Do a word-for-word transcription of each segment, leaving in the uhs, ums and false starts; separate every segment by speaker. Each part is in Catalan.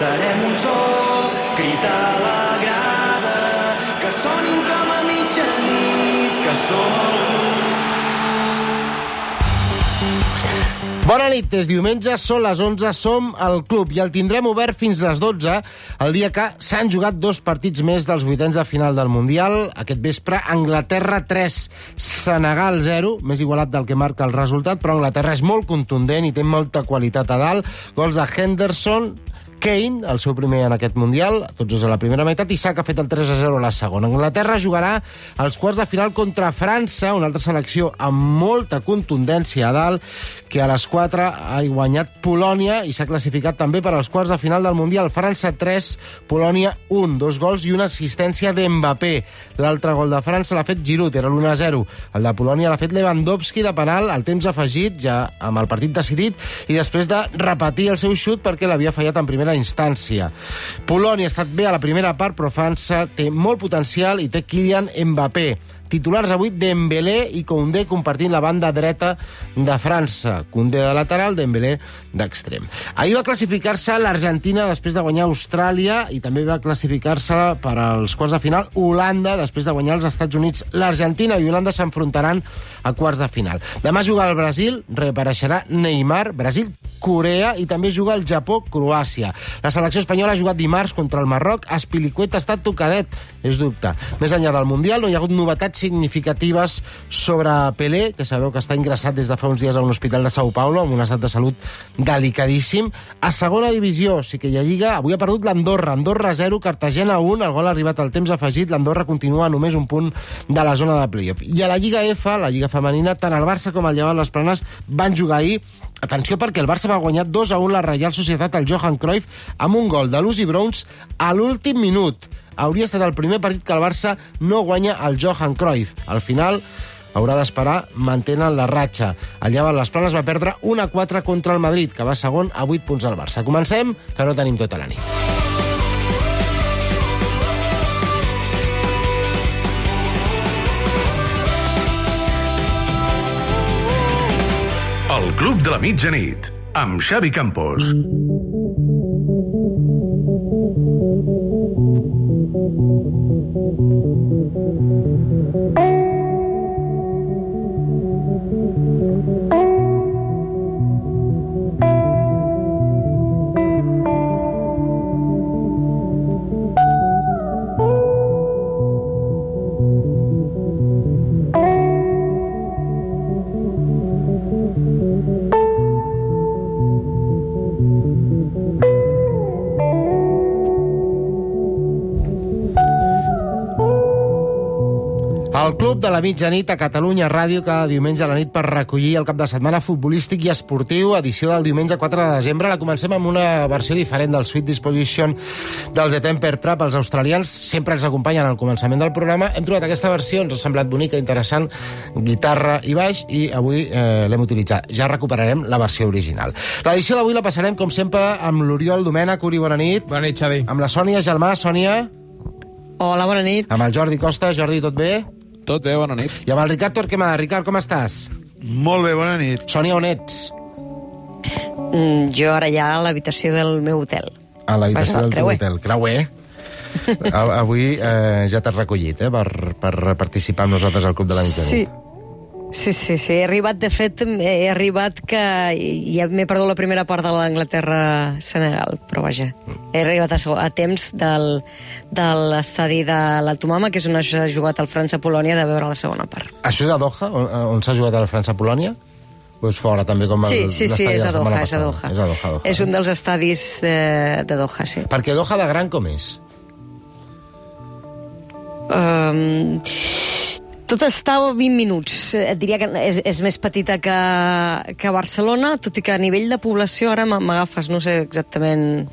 Speaker 1: serem un sol, crit a la grada, que sonin com a mitjanit, que som el club.
Speaker 2: Bona nit, és diumenge, són les onze, som al club i el tindrem obert fins les dotze, el dia que s'han jugat dos partits més dels vuitens de final del Mundial. Aquest vespre, Anglaterra tres, Senegal zero, més igualat del que marca el resultat, però Anglaterra és molt contundent i té molta qualitat a dalt. Gols de Henderson, Kane, el seu primer en aquest Mundial, tots dos a la primera meitat, i Saka ha fet el tres a zero a la segona. Anglaterra jugarà als quarts de final contra França, una altra selecció amb molta contundència a dalt, que a les quatre ha guanyat Polònia i s'ha classificat també per als quarts de final del Mundial. França tres, Polònia un, dos gols i una assistència d'Mbappé. L'altre gol de França l'ha fet Giroud, era l'u a zero. El de Polònia l'ha fet Lewandowski de penal, al temps afegit, ja amb el partit decidit, i després de repetir el seu xut perquè l'havia fallat en primera instància. Polònia ha estat bé a la primera part, però França té molt potencial i té Kylian Mbappé. Titulars avui Dembélé i Koundé compartint la banda dreta de França. Koundé de lateral, Dembélé d'extrem. Ahir va classificar-se l'Argentina després de guanyar Austràlia i també va classificar-se per als quarts de final Holanda després de guanyar els Estats Units. L'Argentina i Holanda s'enfrontaran a quarts de final. Demà juga el Brasil, reapareixerà Neymar, Brasil, Corea i també juga el Japó, Croàcia. La selecció espanyola ha jugat dimarts contra el Marroc. Azpilicueta ha estat tocadet, és dubte. Més enllà del Mundial no hi ha hagut novetats significatives sobre Pelé, que sabeu que està ingressat des de fa uns dies a un hospital de São Paulo amb un estat de salut delicadíssim. A segona divisió sí que hi ha Lliga. Avui ha perdut l'Andorra. Andorra zero, Cartagena un. El gol ha arribat al temps afegit. L'Andorra continua a només un punt de la zona de playoff. I a la Lliga F, la Lliga femenina, tant el Barça com el Llevant les Planes van jugar ahir. Atenció, perquè el Barça va guanyar dos a un la Reial Societat al Johan Cruyff amb un gol de Lucy Bronze a l'últim minut. Hauria estat el primer partit que el Barça no guanya al Johan Cruyff. Al final haurà d'esperar, mantenen la ratxa. El Llevant les Planes va perdre un a quatre contra el Madrid, que va segon a vuit punts al Barça. Comencem, que no tenim tota la nit.
Speaker 3: El Club de la Mitjanit, amb Xavi Campos.
Speaker 2: El Club de la Mitjanit a Catalunya Ràdio cada diumenge a la nit per recollir el cap de setmana futbolístic i esportiu, edició del diumenge quatre de desembre. La comencem amb una versió diferent del Sweet Disposition dels The Temper Trap. Els australians sempre ens acompanyen al començament del programa. Hem trobat aquesta versió, ens ha semblat bonica, interessant, guitarra i baix, i avui eh, l'hem utilitzat. Ja recuperarem la versió original. L'edició d'avui la passarem, com sempre, amb l'Oriol Domènech. Uri, bona nit.
Speaker 4: Bona nit, Xavi.
Speaker 2: Amb la Sònia Gelmà. Sònia.
Speaker 5: Hola, bona nit.
Speaker 2: Amb el Jordi Costa. Jordi, tot bé?
Speaker 4: Tot bé, bona nit.
Speaker 2: I amb el Ricard Torquemada. Ricard, com estàs?
Speaker 4: Molt bé, bona nit.
Speaker 2: Sònia, on ets?
Speaker 5: Mm, jo ara ja a l'habitació del meu hotel.
Speaker 2: A l'habitació del teu
Speaker 5: creuer.
Speaker 2: hotel. Creuer. Avui eh, ja t'has recollit, eh, per, per participar amb nosaltres al Club de la Mitjanit.
Speaker 5: Sí. Sí, sí, sí. He arribat, de fet, he arribat que ja m'he perdut la primera part de l'Anglaterra-Senegal, però vaja, he arribat a, a temps del, de l'estadi de l'Altomama, que és on s'ha jugat el França-Polònia, de veure la segona part.
Speaker 2: Això és a Doha, on, on s'ha jugat el França-Polònia? O és fora, també, com el,
Speaker 5: sí, sí, sí, és a Doha, és a
Speaker 2: És
Speaker 5: Doha.
Speaker 2: a Doha, Doha.
Speaker 5: És un dels estadis eh, de Doha, sí.
Speaker 2: Perquè Doha de gran com és?
Speaker 5: Um, tot està a vint minuts. Et diria que és, és més petita que, que Barcelona, tot i que a nivell de població ara m'agafes, no sé exactament...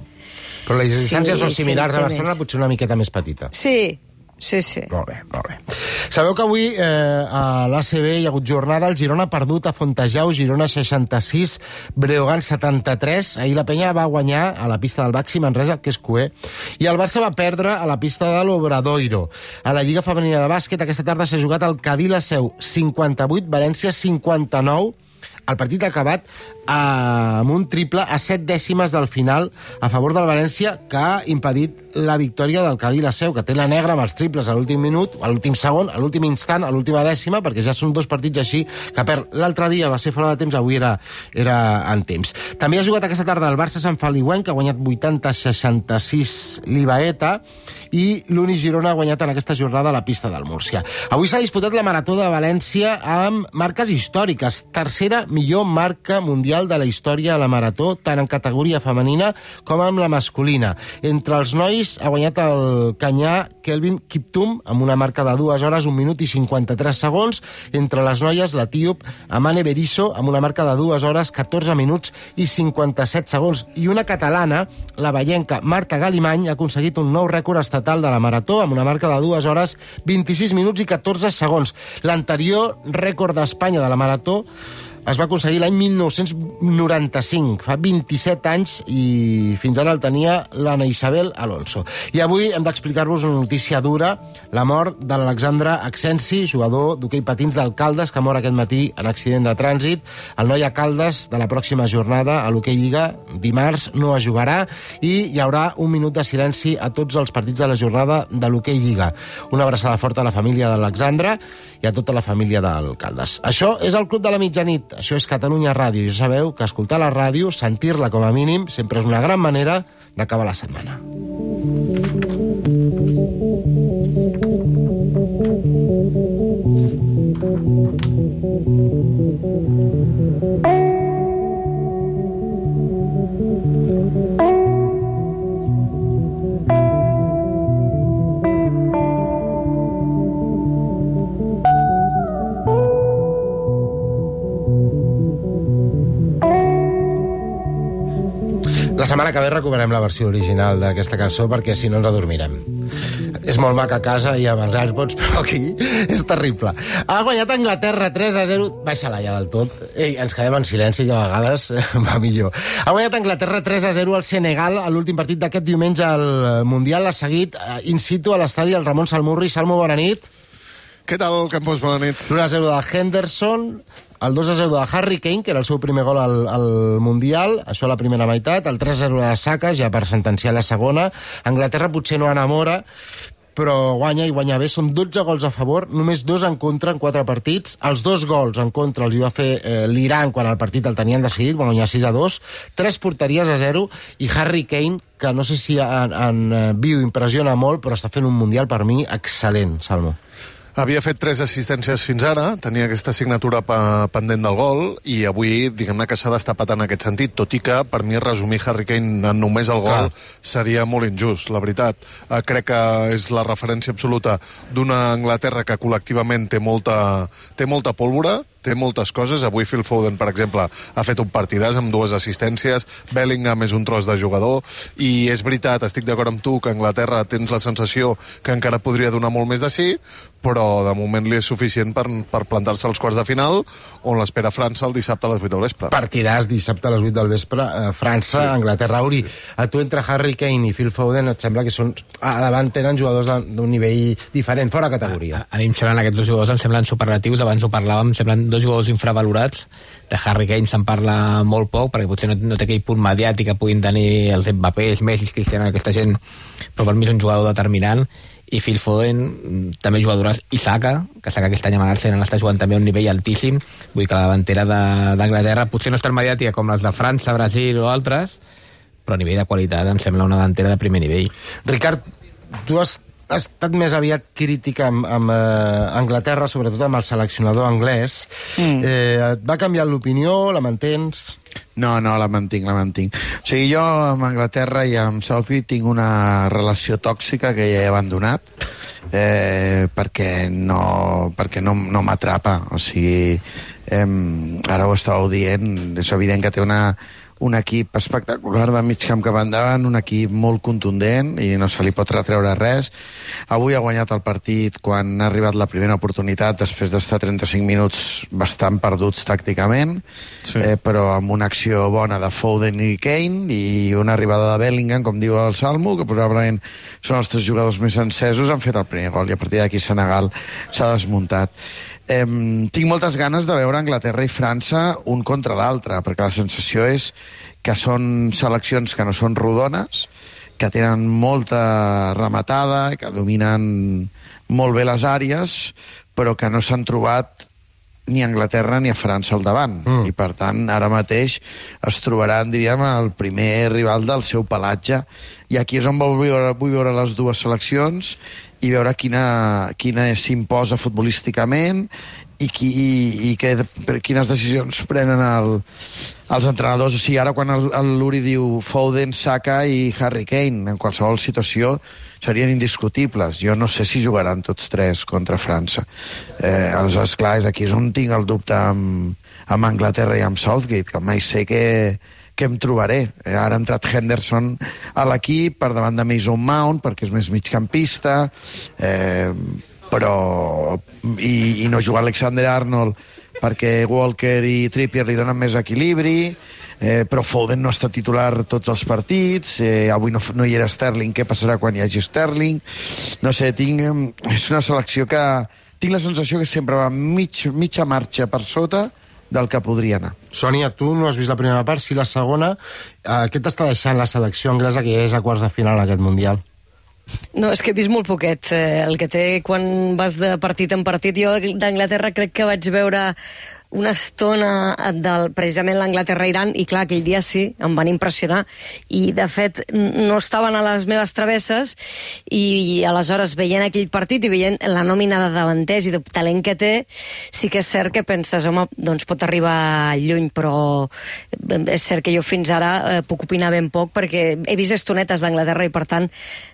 Speaker 2: Però les distàncies
Speaker 5: sí,
Speaker 2: són similars
Speaker 5: sí,
Speaker 2: a Barcelona,
Speaker 5: més.
Speaker 2: Potser una miqueta més petita.
Speaker 5: Sí, sí, sí.
Speaker 2: Molt bé, molt bé. Sabeu que avui eh, a l'A C B hi ha hagut jornada. El Girona ha perdut a Fontejau, Girona seixanta-sis, Breogán setanta-tres. Ahir la Penya va guanyar a la pista del Baxi Manresa, que és cué. I el Barça va perdre a la pista de l'Obradoiro. A la Lliga Femenina de Bàsquet aquesta tarda s'ha jugat el Cadí la Seu cinquanta-vuit, València cinquanta-nou. El partit ha acabat eh, amb un triple a set dècimes del final a favor del València, que ha impedit la victòria del Cadí la Seu, que té la negra amb els triples a l'últim minut, a l'últim segon, a l'últim instant, a l'última dècima, perquè ja són dos partits així que perd. L'altre dia va ser fora de temps, avui era, era en temps. També ha jugat aquesta tarda el Barça Sant Feliuenc, que ha guanyat vuitanta a seixanta-sis l'Ibaeta, i l'Uni Girona ha guanyat en aquesta jornada a la pista del Múrcia. Avui s'ha disputat la Marató de València amb marques històriques. Tercera millor marca mundial de la història a la Marató, tant en categoria femenina com en la masculina. Entre els nois ha guanyat el canyà Kelvin Kiptum amb una marca de dues hores, un minut i cinquanta-tres segons. Entre les noies, l'etíop Amane Berisso amb una marca de dues hores, catorze minuts i cinquanta-set segons. I una catalana, la vallenca Marta Galimany, ha aconseguit un nou rècord estatal de la Marató amb una marca de dues hores, vint-i-sis minuts i catorze segons. L'anterior rècord d'Espanya de la Marató es va aconseguir l'any mil nou-cents noranta-cinc, fa vint-i-set anys, i fins ara el tenia l'Anna Isabel Alonso. I avui hem d'explicar-vos una notícia dura, la mort de l'Alexandre Accensi, jugador d'hoquei patins del Caldes, que mor aquest matí en accident de trànsit. El noi a Caldes, de la pròxima jornada a l'hoquei Lliga, dimarts, no es jugarà, i hi haurà un minut de silenci a tots els partits de la jornada de l'hoquei Lliga. Una abraçada forta a la família de l'Alexandre i a tota la família del Caldes. Això és el Club de la Mitjanit. Això és Catalunya Ràdio. I ja sabeu que escoltar la ràdio, sentir-la com a mínim, sempre és una gran manera d'acabar la setmana. La setmana que ve recuperem la versió original d'aquesta cançó, perquè si no ens adormirem. És molt maca a casa i amb els AirPods, però aquí és terrible. Ha guanyat Anglaterra tres a zero. Baixa-la ja del tot. Ei, ens quedem en silenci, que a vegades va millor. Ha guanyat Anglaterra tres a zero al Senegal a l'últim partit d'aquest diumenge al Mundial. Ha seguit in situ a l'estadi el Ramon Salmurri. Salmo, bona nit.
Speaker 4: Què tal, Campos? Bona nit.
Speaker 2: l'u a zero de Henderson, el dos a zero de Harry Kane, que era el seu primer gol al, al Mundial, això a la primera meitat, el tres a zero de Saka, ja per sentenciar la segona. Anglaterra potser no enamora, però guanya i guanya bé. Són dotze gols a favor, només dos en contra en quatre partits. Els dos gols en contra els hi va fer eh, l'Iran quan el partit el tenien decidit, va guanyar sis a dos, tres porteries a zero, i Harry Kane, que no sé si en, en viu impressiona molt, però està fent un Mundial per mi excel·lent, Salmo.
Speaker 4: Havia fet tres assistències fins ara, tenia aquesta signatura pendent del gol, i avui, diguem-ne que s'ha destapat en aquest sentit, tot i que, per mi, resumir Harry Kane en només el gol Clar. seria molt injust, la veritat. Eh, crec que és la referència absoluta d'una Anglaterra que col·lectivament té molta, té molta pólvora, té moltes coses. Avui Phil Foden, per exemple, ha fet un partidàs amb dues assistències, Bellingham és un tros de jugador, i és veritat, estic d'acord amb tu, que Anglaterra tens la sensació que encara podria donar molt més de sí, però de moment li és suficient per, per plantar-se als quarts de final, on l'espera França el dissabte a les vuit del vespre.
Speaker 2: Partidàs dissabte a les vuit del vespre, eh, França, sí. Anglaterra. Uri, sí. A tu entre Harry Kane i Phil Foden et sembla que són, a davant tenen jugadors d'un nivell diferent, fora categoria.
Speaker 6: A, a mi em semblen aquests dos jugadors, em semblen superlatius, abans ho parlàvem, em semblen dos jugadors infravalorats. De Harry Kane se'n parla molt poc, perquè potser no, no té aquell punt mediàtic que puguin tenir els Mbappés, Messi, Cristiano, aquesta gent, però per mi és un jugador determinant. I Phil Foden també jugadores, i Saka, que Saka aquest any a l'Arsenal està jugant també a un nivell altíssim. Vull que la davantera d'Anglaterra potser no és tan mediàtica com les de França, Brasil o altres, però a nivell de qualitat em sembla una davantera de primer nivell.
Speaker 2: Ricard, tu has ha estat més aviat crítica amb, amb eh, Anglaterra, sobretot amb el seleccionador anglès. Mm. Eh, et va canviar l'opinió? La mantens?
Speaker 7: No, no, la mantinc, la mantinc. O sigui, jo amb Anglaterra i amb Southgate tinc una relació tòxica que ja he abandonat, eh, perquè no, perquè no, no m'atrapa. O sigui, eh, ara ho estàveu dient, és evident que té una... un equip espectacular de mig camp cap endavant, un equip molt contundent i no se li pot retreure res. Avui ha guanyat el partit quan ha arribat la primera oportunitat després d'estar trenta-cinc minuts bastant perduts tàcticament, sí. eh, però amb una acció bona de Foden i Kane i una arribada de Bellingham, com diu el Salmo, que probablement són els tres jugadors més encesos, han fet el primer gol i a partir d'aquí Senegal s'ha desmuntat. Eh, tinc moltes ganes de veure Anglaterra i França un contra l'altre, perquè la sensació és que són seleccions que no són rodones, que tenen molta rematada, que dominen molt bé les àrees, però que no s'han trobat ni a Anglaterra ni a França al davant. Mm. I, per tant, ara mateix es trobaran, diríem, el primer rival del seu pelatge. I aquí és on vull veure, vull veure les dues seleccions i veure quina, quina s'imposa futbolísticament i, qui, i, i que, quines decisions prenen el, els entrenadors. O sigui, ara quan el, el Luri diu Foden, Saka i Harry Kane, en qualsevol situació serien indiscutibles. Jo no sé si jugaran tots tres contra França. Eh, aleshores, clar, és aquí és on tinc el dubte amb, amb Anglaterra i amb Southgate, que mai sé què, què em trobaré. Eh, ara ha entrat Henderson a l'equip per davant de Mason Mount, perquè és més migcampista, eh, però... I, i no juga Alexander Arnold perquè Walker i Trippier li donen més equilibri, eh, però Foden no està titular tots els partits, eh, avui no, no hi era Sterling, què passarà quan hi hagi Sterling? No sé, tinc, és una selecció que tinc la sensació que sempre va mig, mitja marxa per sota del que podria anar.
Speaker 2: Sònia, tu no has vist la primera part, sí la segona. Eh, què t'està deixant la selecció anglesa que ja és a quarts de final aquest Mundial?
Speaker 5: No, és que he vist molt poquet. Eh, el que té quan vas de partit en partit. Jo d'Anglaterra crec que vaig veure una estona del, precisament l'Anglaterra-Iran, i clar, aquell dia sí, em van impressionar, i de fet no estaven a les meves travesses, i, i aleshores veient aquell partit i veient la nòmina de davanters i de talent que té, sí que és cert que penses, home, doncs pot arribar lluny, però és cert que jo fins ara eh, puc opinar ben poc, perquè he vist estonetes d'Anglaterra i per tant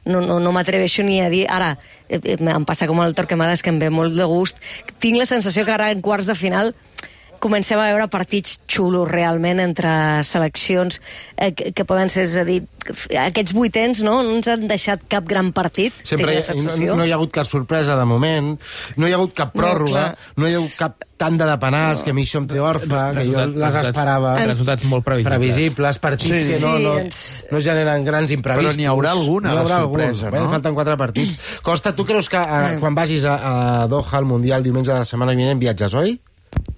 Speaker 5: no, no, no m'atreveixo ni a dir, ara eh, em passa com el Torquemades, que em ve molt de gust, tinc la sensació que ara en quarts de final comencem a veure partits xulos realment entre seleccions eh, que, que poden ser, és a dir, aquests vuitens no, no ens han deixat cap gran partit.
Speaker 2: Sempre no, no hi ha hagut cap sorpresa de moment, no hi ha hagut cap pròrroga, no, no hi ha hagut cap tanda de penals, no, que a mi això em té orfe, que jo les esperava.
Speaker 6: Resultats molt previsibles.
Speaker 2: Previsibles, partits sí, que no, no, no generen grans imprevistos.
Speaker 7: Però n'hi haurà alguna,
Speaker 2: n'hi haurà
Speaker 7: de sorpresa,
Speaker 2: algun, no? Falten quatre partits. Costa, tu creus que eh, quan vagis a, a Doha, al Mundial, diumenge de la setmana vinent, viatges, oi?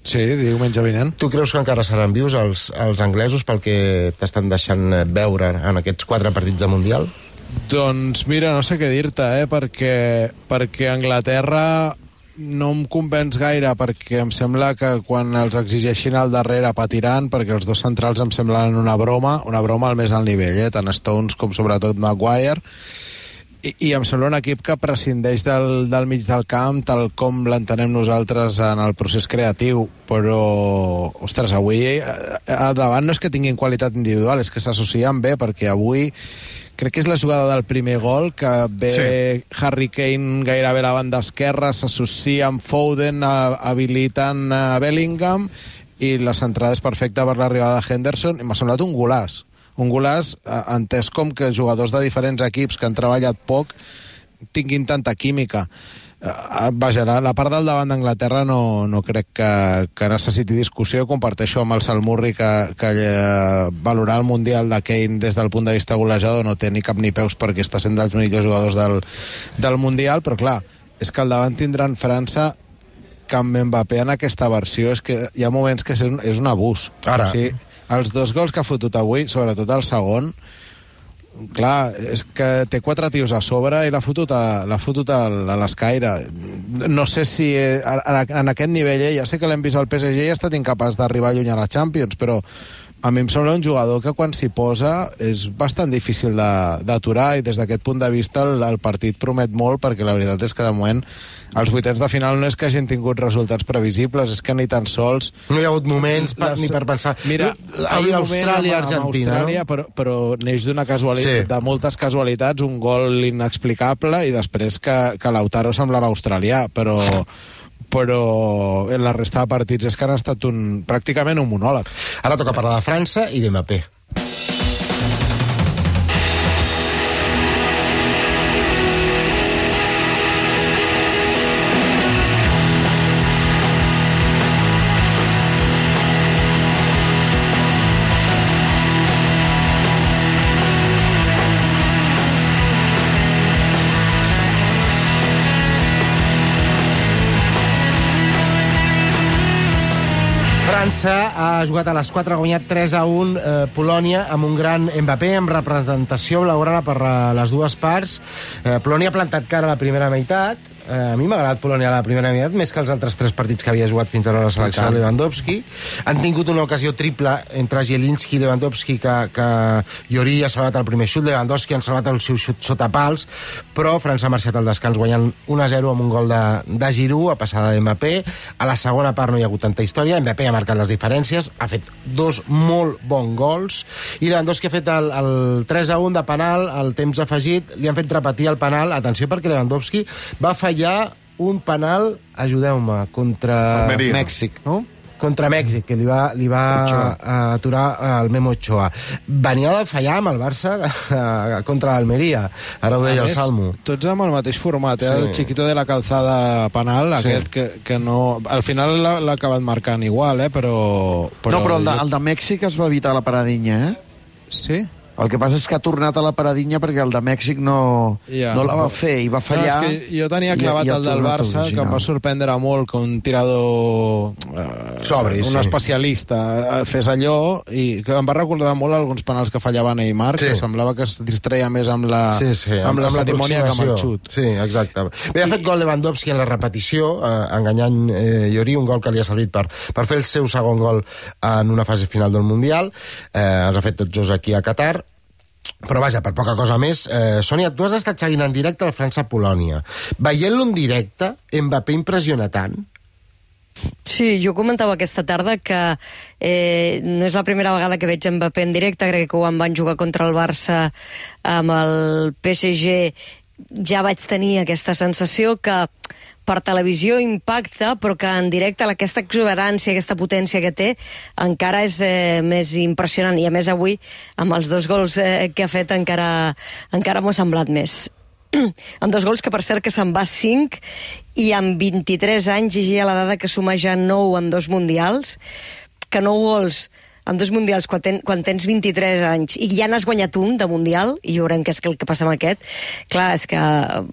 Speaker 8: Sí, diumenge vinent.
Speaker 2: Tu creus que encara seran vius els, els anglesos pel que t'estan deixant veure en aquests quatre partits de Mundial?
Speaker 8: Doncs mira, no sé què dir-te, eh? perquè, perquè Anglaterra no em convenç gaire, perquè em sembla que quan els exigeixin al darrere patiran, perquè els dos centrals em semblen una broma, una broma al més alt nivell, eh? tant Stones com sobretot Maguire, I, i em sembla un equip que prescindeix del, del mig del camp tal com l'entenem nosaltres en el procés creatiu, però ostres, avui a davant no és que tinguin qualitat individual, és que s'associen bé, perquè avui crec que és la jugada del primer gol que ve sí. Harry Kane gairebé a la banda esquerra, s'associa amb Foden, habilitant a Bellingham, i la centrada és perfecta per l'arribada de Henderson, i m'ha semblat un golaç un golaç entès com que jugadors de diferents equips que han treballat poc tinguin tanta química. Uh, vaja, la, la part del davant d'Anglaterra no, no crec que, que necessiti discussió. Comparteixo amb el Salmurri que, que uh, valorar el Mundial de Kane des del punt de vista golejador no té ni cap ni peus, perquè està sent dels millors jugadors del, del Mundial, però clar, és que al davant tindran França que amb Mbappé en aquesta versió és que hi ha moments que és un, és un abús.
Speaker 2: Ara.
Speaker 8: O sigui, els dos gols que ha fotut avui, sobretot el segon, clar, és que té quatre tios a sobre i l'ha fotut a, l'ha fotut a, a l'escaire. No sé si en, en aquest nivell, eh, ja sé que l'hem vist al P S G i ha estat incapaç d'arribar lluny a la Champions, però a mi em sembla un jugador que quan s'hi posa és bastant difícil d'aturar, i des d'aquest punt de vista el, el partit promet molt, perquè la veritat és que de moment els vuitens de final no és que hagin tingut resultats previsibles, és que ni tan sols...
Speaker 2: No hi ha hagut moments per,
Speaker 8: les,
Speaker 2: ni per pensar...
Speaker 8: Mira,
Speaker 2: Austràlia, Argentina,
Speaker 8: Austràlia,
Speaker 2: no?
Speaker 8: però, però neix d'una casualitat, sí. de moltes casualitats, un gol inexplicable, i després que, que Lautaro semblava australià, però... però la resta de partits és que han estat un, pràcticament un monòleg.
Speaker 2: Ara toca parlar de França i de Mbappé. França ha jugat a les quatre, ha guanyat tres a un eh, Polònia amb un gran Mbappé, amb representació blaugrana per eh, les dues parts. Eh, Polònia ha plantat cara a la primera meitat. Eh, a mi m'ha agradat Polònia a la primera meitat, més que els altres tres partits que havia jugat fins ara a la selecció de Lewandowski. Han tingut una ocasió triple entre Zielinski i Lewandowski, que, que Llori ha salvat el primer xut, Lewandowski han salvat el seu xut sota pals, però França ha marxat al descans guanyant un a zero amb un gol de, de Giroud a passada de Mbappé. A la segona part no hi ha hagut tanta història, Mbappé ha marcat les diferències, ha fet dos molt bons gols, i Lewandowski ha fet el, el tres a un de penal, al temps afegit, li han fet repetir el penal, atenció perquè Lewandowski va fallar un penal, ajudeu-me, contra
Speaker 4: Almeria.
Speaker 7: Mèxic, no?
Speaker 2: contra Mèxic, que li va, li va aturar el Memo Ochoa. Venia de fallar amb el Barça contra l'Almeria. Ara ho deia el Salmo.
Speaker 8: Tots amb el mateix format, eh?
Speaker 2: Sí.
Speaker 8: El Chiquito de la Calzada penal,
Speaker 2: Sí.
Speaker 8: aquest que, que no... Al final l'ha l'ha acabat marcant igual, eh? Però...
Speaker 7: No, però el de, el de Mèxic es va evitar la paradinya, eh?
Speaker 8: Sí?
Speaker 7: El que passa és que ha tornat a la paradinya perquè el de Mèxic no,
Speaker 8: Ja.
Speaker 7: no la va fer i va fallar.
Speaker 8: No, és que jo tenia clavat
Speaker 7: i- i ha
Speaker 8: el del
Speaker 7: tornat
Speaker 8: Barça,
Speaker 7: al
Speaker 8: que em va
Speaker 7: original.
Speaker 8: sorprendre molt que un tirador... Eh,
Speaker 2: Sobri,
Speaker 8: un
Speaker 2: sí.
Speaker 8: especialista eh, fes allò, i que em va recordar molt alguns penals que fallava Neymar,
Speaker 2: Sí.
Speaker 8: que semblava que es distreia més amb la,
Speaker 2: Sí, sí,
Speaker 8: amb la cerimònia que amb el
Speaker 2: l'aproximació.
Speaker 8: xut.
Speaker 2: Sí, exacte. Bé, ha fet gol Lewandowski en la repetició, eh, enganyant eh, Llori, un gol que li ha servit per, per fer el seu segon gol en una fase final del Mundial. Eh, els ha fet tots dos aquí a Qatar. Però vaja, per poca cosa més, eh, Sònia, tu has estat seguint en directe el França-Polònia. Veient-lo en directe, Mbappé impressiona tant?
Speaker 5: Sí, jo comentava aquesta tarda que eh, no és la primera vegada que veig Mbappé en directe, crec que quan van jugar contra el Barça amb el P S G ja vaig tenir aquesta sensació que per televisió impacta, però que en directe aquesta exuberància, aquesta potència que té encara és eh, més impressionant, i a més avui amb els dos gols eh, que ha fet encara, encara m'ho ha semblat més. Amb dos gols que per cert que se'n va cinc, i amb vint-i-tres anys llegia la dada que suma ja nou en dos mundials, que nou gols en dos mundials quan, ten, quan tens vint-i-tres anys i ja n'has guanyat un de mundial, i veurem què és el que passa amb aquest. Clar, és que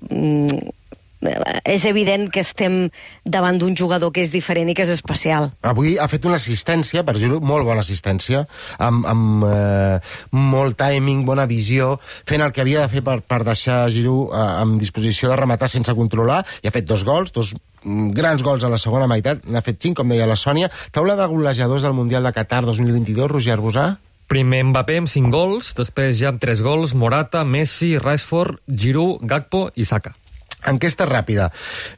Speaker 5: mm, és evident que estem davant d'un jugador que és diferent i que és especial.
Speaker 2: Avui ha fet una assistència, per dir-ho, molt bona assistència, amb, amb eh, molt timing, bona visió, fent el que havia de fer per, per deixar Giroud eh, en disposició de rematar sense controlar, i ha fet dos gols, dos grans gols a la segona meitat, n'ha fet cinc, com deia la Sònia. Taula de golejadors del Mundial de Qatar dos mil vint-i-dos, Roger Arbusà?
Speaker 9: Primer Mbappé amb cinc gols, després ja amb tres gols, Morata, Messi, Rashford, Giroud, Gakpo i Saka.
Speaker 2: Enquesta ràpida.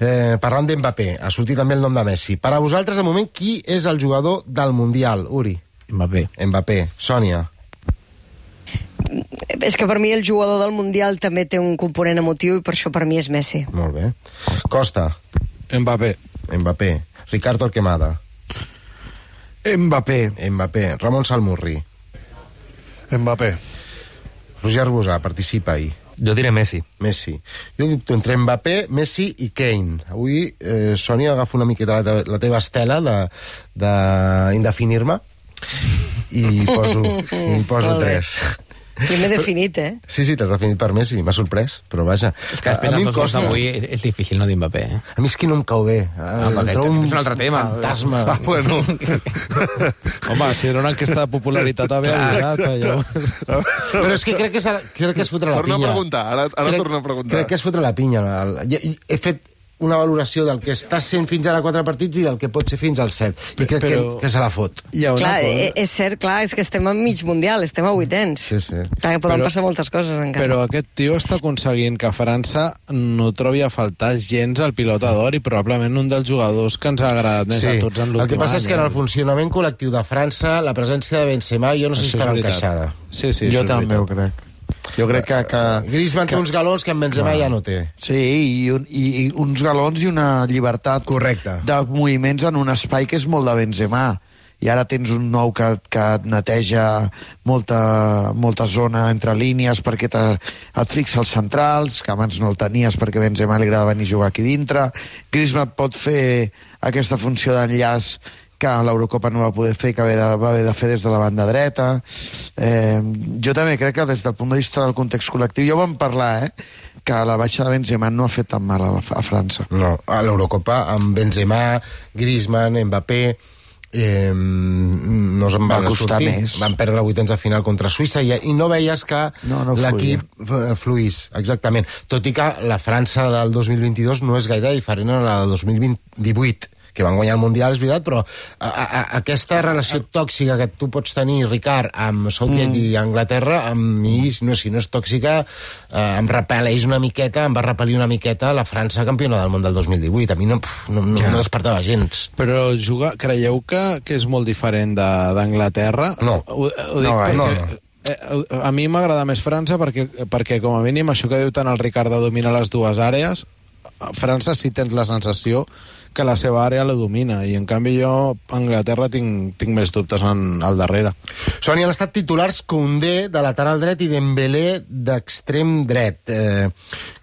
Speaker 2: Eh, parlant d'Mbappé, ha sortit també el nom de Messi. Per a vosaltres, de moment, qui és el jugador del Mundial? Uri?
Speaker 6: Mbappé.
Speaker 2: Mbappé. Sònia?
Speaker 5: És que per mi el jugador del Mundial també té un component emotiu, i per això per mi és Messi.
Speaker 2: Molt bé. Costa?
Speaker 8: Mbappé.
Speaker 2: Mbappé. Ricardo Torquemada?
Speaker 7: Mbappé.
Speaker 2: Mbappé. Ramon Salmurri?
Speaker 4: Mbappé.
Speaker 2: Roger Arbusà, participa ahir.
Speaker 9: Jo diré Messi.
Speaker 2: Messi. Jo dubto entre Mbappé, Messi i Kane. Avui, eh, Sònia, agafo una miqueta la, te la teva estela d'indefinir-me i poso, i poso tres.
Speaker 5: Primer definit, eh?
Speaker 2: Sí, sí, t'has definit per Messi, m'ha sorprès, però vaja.
Speaker 6: És que després
Speaker 2: a mi
Speaker 6: dels
Speaker 2: em
Speaker 6: dos gols
Speaker 2: costa.
Speaker 6: d'avui és, és difícil no dir Mbappé, eh?
Speaker 2: A mi és que no em cau bé.
Speaker 6: Ah, perquè
Speaker 2: trobo
Speaker 6: és un altre tema.
Speaker 2: Fantasma.
Speaker 4: Ah, bueno.
Speaker 8: Home, si era una enquesta de popularitat havia avisat, allò.
Speaker 2: Però és que crec que és, crec que és fotre la
Speaker 4: Torna a
Speaker 2: pinya.
Speaker 4: preguntar, ara- ara
Speaker 2: crec,
Speaker 4: torna a preguntar.
Speaker 2: Crec que és fotre la pinya. El- He fet una valoració del que està sent fins ara quatre partits i del que pot ser fins al set. I crec
Speaker 8: Però-
Speaker 2: que, que se la fot.
Speaker 8: Hi ha una
Speaker 5: Clar,
Speaker 8: cosa...
Speaker 5: eh, és cert, clar, és que estem a mig mundial, estem a vuitens.
Speaker 2: Sí, sí.
Speaker 5: Clar, que poden
Speaker 8: Però-
Speaker 5: passar moltes coses encara.
Speaker 8: Però aquest tio està aconseguint que França no trobi a faltar gens al pilota d'or, i probablement un dels jugadors que ens ha agradat més a tots en l'últim any.
Speaker 2: el que passa és que en el
Speaker 8: eh?
Speaker 2: funcionament col·lectiu de França la presència de Benzema jo no sé si
Speaker 8: Això és
Speaker 2: estarà
Speaker 8: veritat.
Speaker 2: encaixada.
Speaker 8: Sí, sí,
Speaker 7: Jo
Speaker 8: això és
Speaker 7: també ho
Speaker 8: veritat.
Speaker 7: crec. Jo crec que... que
Speaker 2: Griezmann té uns galons que en Benzema ja no té.
Speaker 7: sí, i, un, i, i uns galons i una llibertat
Speaker 2: Correcte.
Speaker 7: de moviments en un espai que és molt de Benzema. I ara tens un nou que, que et neteja molta, molta zona entre línies perquè te, et fixa els centrals, que abans no el tenies perquè a Benzema li agrada venir a jugar aquí dintre. Griezmann pot fer aquesta funció d'enllaç que a l'Eurocopa no va poder fer, que va haver de, va haver de fer des de la banda dreta. Eh, jo també crec que des del punt de vista del context col·lectiu, ja ho vam parlar, eh, que la baixa de Benzema no ha fet tan mal a, la, a França.
Speaker 2: No, a l'Eurocopa amb Benzema, Griezmann, Mbappé, eh, no se'n
Speaker 7: Va
Speaker 2: van
Speaker 7: costar
Speaker 2: sortir.
Speaker 7: més.
Speaker 2: Van perdre vuitens de final contra Suïssa i, i no veies que
Speaker 7: No, no
Speaker 2: l'equip eh, fluís, exactament. Tot i que la França del dos mil vint-i-dos no és gaire diferent a la del dos mil divuit, que van guanyar el Mundial, és veritat, però a, a, aquesta relació tòxica que tu pots tenir, Ricard, amb Southgate mm. i Anglaterra, amb mi, no, si no és tòxica, eh, em repel·leix una miqueta, em va repel·lir una miqueta la França campiona del món del dos mil divuit. A mi no, no, no,
Speaker 8: Ja.
Speaker 2: no despertava gens.
Speaker 8: Però juga, creieu que, que és molt diferent de- d'Anglaterra?
Speaker 2: No.
Speaker 8: Ho, ho dic
Speaker 7: No,
Speaker 8: perquè,
Speaker 2: no, no.
Speaker 8: Eh, a mi m'agrada més França perquè, perquè, com a mínim, això que diu tant el Ricard de dominar les dues àrees, a França sí tens la sensació que la seva àrea la domina, i en canvi jo a Anglaterra tinc, tinc més dubtes en, al darrere.
Speaker 2: Sònia, han estat titulars Koundé de lateral dret i Dembélé d'extrem dret. Eh,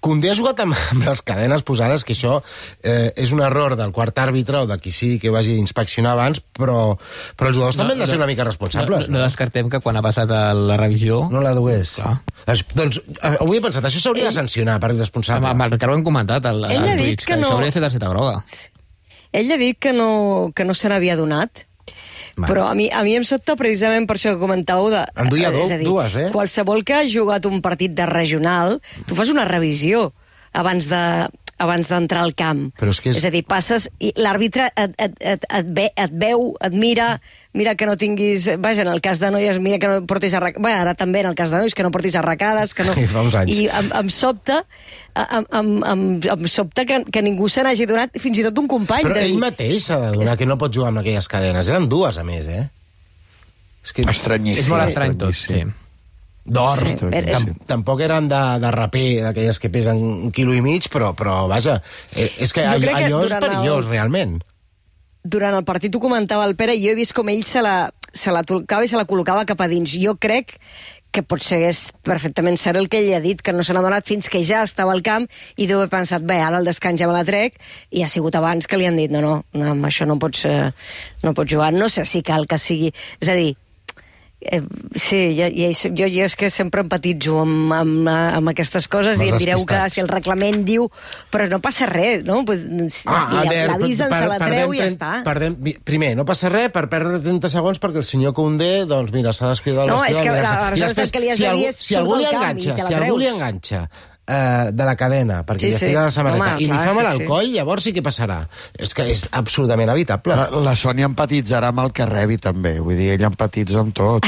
Speaker 2: Koundé ha jugat amb, amb les cadenes posades, que això eh, és un error del quart àrbitre o de qui sí que ho hagi d'inspeccionar abans, però, però els jugadors no, també han de ser una mica responsables.
Speaker 6: No, no, no descartem que quan ha passat a la revisió...
Speaker 2: No la dugués.
Speaker 6: Clar.
Speaker 2: Doncs, doncs eh, avui he pensat, això s'hauria de sancionar per irresponsable.
Speaker 6: Amb, amb el Ricard ho hem comentat al,
Speaker 5: Ell
Speaker 6: al
Speaker 5: ha dit
Speaker 6: Twitch,
Speaker 5: que
Speaker 6: que
Speaker 5: no-
Speaker 6: això hauria de ser targeta groga.
Speaker 5: Ell ha dit que no, que no se n'havia donat,
Speaker 2: Vale.
Speaker 5: però a mi, a mi em sobta precisament per això que comentàveu de...
Speaker 2: En duia do-
Speaker 5: és a dir,
Speaker 2: dues, eh?
Speaker 5: Qualsevol que ha jugat un partit de regional, tu fas una revisió abans de abans d'entrar al camp.
Speaker 2: Però és que és-
Speaker 5: és a dir, passes i l'àrbitre et, et, et, et, ve, et veu, et mira, mira que no tinguis... Vaja, en el cas de noies, mira que no portis arracades... Bé, ara també en el cas de nois, que no portis arracades, que no...
Speaker 2: Sí, fa uns anys.
Speaker 5: I em, em sobta, em, em, em, em sobta que, que ningú se n'hagi donat, fins i tot un company.
Speaker 2: Però
Speaker 5: de
Speaker 2: ell
Speaker 5: dir,
Speaker 2: mateix s'ha de donar que no pot jugar amb aquelles cadenes. Eren dues, a més, eh? És que...
Speaker 7: Estranyíssim.
Speaker 6: És molt estrany tot, sí.
Speaker 2: D'or.
Speaker 5: Sí,
Speaker 2: Sí,
Speaker 5: però-
Speaker 2: Tam tampoc eren de, de raper, d'aquelles que pesen un quilo i mig, però, però vaja, eh, és que
Speaker 5: Jo
Speaker 2: allò,
Speaker 5: crec que
Speaker 2: allò és
Speaker 5: durant
Speaker 2: perillós,
Speaker 5: el-
Speaker 2: realment.
Speaker 5: durant el partit ho comentava el Pere, i jo he vist com ell se la, se la tolcava i se la col·locava cap a dins. Jo crec que potser és perfectament cert el que ell ha dit, que no se n'ha donat fins que ja estava al camp i deu haver pensat, bé, ara el descans ja me la trec, i ha sigut abans que li han dit, no, no, no amb això no pots, eh, no pots jugar. No sé si cal que sigui... És a dir, Eh, sí, ja, ja, jo, jo és que sempre empatitzo amb, amb, amb aquestes coses
Speaker 2: Amb
Speaker 5: i
Speaker 2: els
Speaker 5: em direu que
Speaker 2: despistats.
Speaker 5: si el reglament diu però no passa res, no? Pues,
Speaker 2: Ah,
Speaker 5: la- l'avisen, se la treu i ja
Speaker 2: perdem
Speaker 5: està.
Speaker 2: Perdem, mi- primer, no passa res per perdre trenta segons perquè el senyor Koundé, doncs mira, s'ha descuidat del
Speaker 5: No,
Speaker 2: vestidor.
Speaker 5: és que
Speaker 2: mira,
Speaker 5: la-
Speaker 2: i
Speaker 5: aleshores
Speaker 2: després,
Speaker 5: el que li has
Speaker 2: si
Speaker 5: de dir
Speaker 2: algú,
Speaker 5: és
Speaker 2: si
Speaker 5: surt
Speaker 2: algú li
Speaker 5: del camp i
Speaker 2: enganxa,
Speaker 5: te la
Speaker 2: si algú li
Speaker 5: creus.
Speaker 2: enganxa eh, de la cadena, perquè
Speaker 5: Sí,
Speaker 2: li
Speaker 5: sí.
Speaker 2: estigui a la samarreta,
Speaker 5: Home,
Speaker 2: i li
Speaker 5: clar,
Speaker 2: fa mal
Speaker 5: sí,
Speaker 2: al
Speaker 5: sí.
Speaker 2: coll, llavors sí que passarà. És que és absolutament evitable.
Speaker 7: La, la Sònia empatitzarà amb el que rebi, també. Vull dir, ella empatitza amb tot.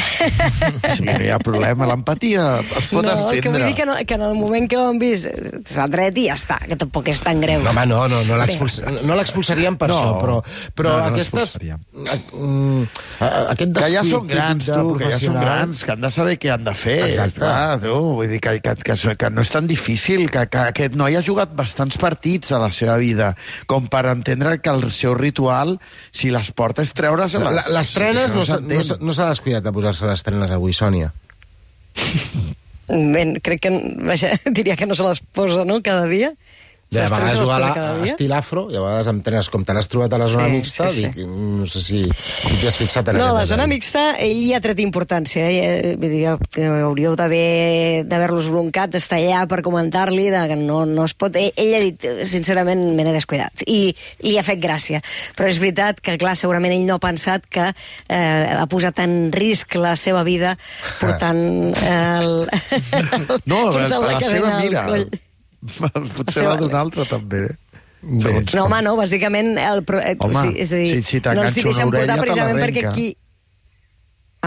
Speaker 7: Si no hi ha problema, l'empatia es pot
Speaker 5: no, el que vull
Speaker 7: estendre.
Speaker 5: dir que, no, que en el moment que ho han vist eh, s'ha tret i ja està, que tampoc és tan greu.
Speaker 2: No, home, no, no, no l'expuls- no l'expulsaríem per
Speaker 7: No,
Speaker 2: això, però, però
Speaker 7: no, no
Speaker 2: aquestes...
Speaker 7: l'expulsaríem.
Speaker 2: a- mm, a- aquest
Speaker 7: Que ja
Speaker 2: descuid
Speaker 7: són grans,
Speaker 2: de
Speaker 7: tu, que ja són
Speaker 2: professional-
Speaker 7: grans, que han de saber què han de fer.
Speaker 2: Exacte.
Speaker 7: Clar, tu, vull dir que, que, que, que no és tan difícil, que, que aquest noi ha jugat bastants partits a la seva vida, com per entendre que el seu ritual, si les porta, és treure's les...
Speaker 2: La- Les trenes no, s'ha- no,
Speaker 7: s'entén.
Speaker 2: s'ha- no s'ha descuidat de posar-se les trenes avui, Sònia.
Speaker 5: Ben, crec que, vaja, diria que no se les posa, no?, cada dia.
Speaker 2: De
Speaker 5: Les
Speaker 2: vegades
Speaker 5: trenes se les
Speaker 2: jugar a
Speaker 5: posa
Speaker 2: la,
Speaker 5: cada
Speaker 2: a
Speaker 5: dia.
Speaker 2: estil afro, i a vegades amb trenes com te l'has trobat a la zona
Speaker 5: Sí,
Speaker 2: mixta,
Speaker 5: sí, sí.
Speaker 2: dic, no sé si, si t'hi has fixat en
Speaker 5: No,
Speaker 2: aquest
Speaker 5: la zona
Speaker 2: detall.
Speaker 5: mixta, ell hi ha tret importància. Eh? Vull dir, que hauríeu d'haver- d'haver-los broncat, d'estar allà per comentar-li, de que no, no es pot... Ell, ell ha dit, sincerament, me n'he descuidat. I li ha fet gràcia. Però és veritat que, clar, segurament ell no ha pensat que eh, ha posat en risc la seva vida portant el...
Speaker 7: No,
Speaker 5: portant
Speaker 7: la, la seva
Speaker 5: cadena al
Speaker 7: mira.
Speaker 5: coll.
Speaker 7: Potser
Speaker 5: seva-
Speaker 7: la d'un altre, també.
Speaker 2: Bé.
Speaker 7: Segons
Speaker 5: No,
Speaker 7: com.
Speaker 5: home, no, bàsicament... El, pro- eh,
Speaker 7: Home,
Speaker 5: o sigui, és a dir,
Speaker 7: si- si
Speaker 5: no els
Speaker 7: t'enganxa
Speaker 5: hi deixen
Speaker 7: una orella,
Speaker 5: portar
Speaker 7: te
Speaker 5: precisament perquè
Speaker 7: l'arrenca.
Speaker 5: aquí...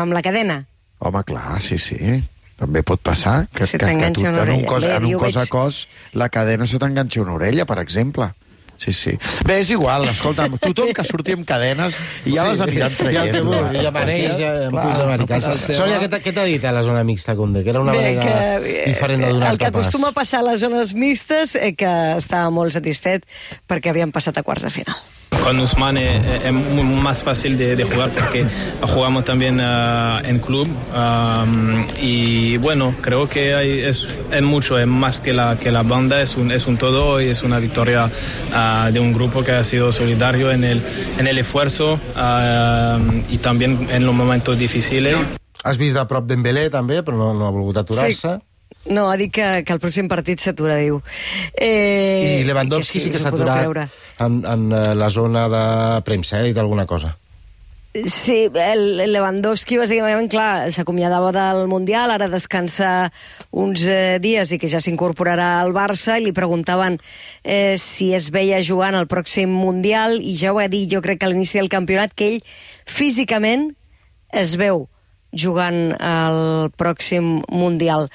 Speaker 5: Amb la cadena?
Speaker 7: Home, clar, sí, sí. També pot passar que,
Speaker 5: Se
Speaker 7: que, que
Speaker 5: t'enganxa
Speaker 7: tu,
Speaker 5: una
Speaker 7: en un
Speaker 5: orella.
Speaker 7: cos,
Speaker 5: Bé,
Speaker 7: en un
Speaker 5: jo
Speaker 7: cos a
Speaker 5: veig-
Speaker 7: cos la cadena se t'enganxa una orella, per exemple. Sí, sí. Bé, és igual, escolta, tothom que surti amb cadenes i ja les aniran
Speaker 2: Ja
Speaker 7: traient.
Speaker 2: el té molt, ja maneix amb
Speaker 7: Clar,
Speaker 2: punts americans.
Speaker 7: no passa el
Speaker 2: Sònia, què t'ha- què t'ha dit a la zona mixta, Condé? Que era una
Speaker 5: Bé,
Speaker 2: manera
Speaker 5: que, eh,
Speaker 2: diferent de
Speaker 5: el
Speaker 2: donar-te
Speaker 5: que
Speaker 2: pas.
Speaker 5: acostuma a passar a les zones mixtes, eh, que estava molt satisfet perquè havien passat a quarts de final.
Speaker 10: Con Usman es, es muy más fácil de, de jugar porque jugamos también uh, en club um, y bueno, creo que hay, es, es mucho, es más que la, que la banda, es un, es un todo y es una victoria uh, de un grupo que ha sido solidario en el, en el esfuerzo uh, y también en los momentos difíciles.
Speaker 2: Has vist de prop Dembélé, també, però no, no ha volgut aturar-se.
Speaker 5: No, ha dit que, que el pròxim partit s'atura, diu. Eh,
Speaker 2: I Lewandowski sí que
Speaker 5: us
Speaker 2: s'ha
Speaker 5: ho podeu
Speaker 2: aturat
Speaker 5: creure.
Speaker 2: en, en eh, la zona de premsa, eh? Ha dit alguna cosa.
Speaker 5: Sí, el Lewandowski, bàsicament, clar, s'acomiadava del Mundial, ara descansa uns eh, dies i que ja s'incorporarà al Barça, i li preguntaven eh, si es veia jugant al pròxim Mundial, i ja ho ha dit, jo crec que a l'inici del campionat, que ell físicament es veu jugant al pròxim Mundial.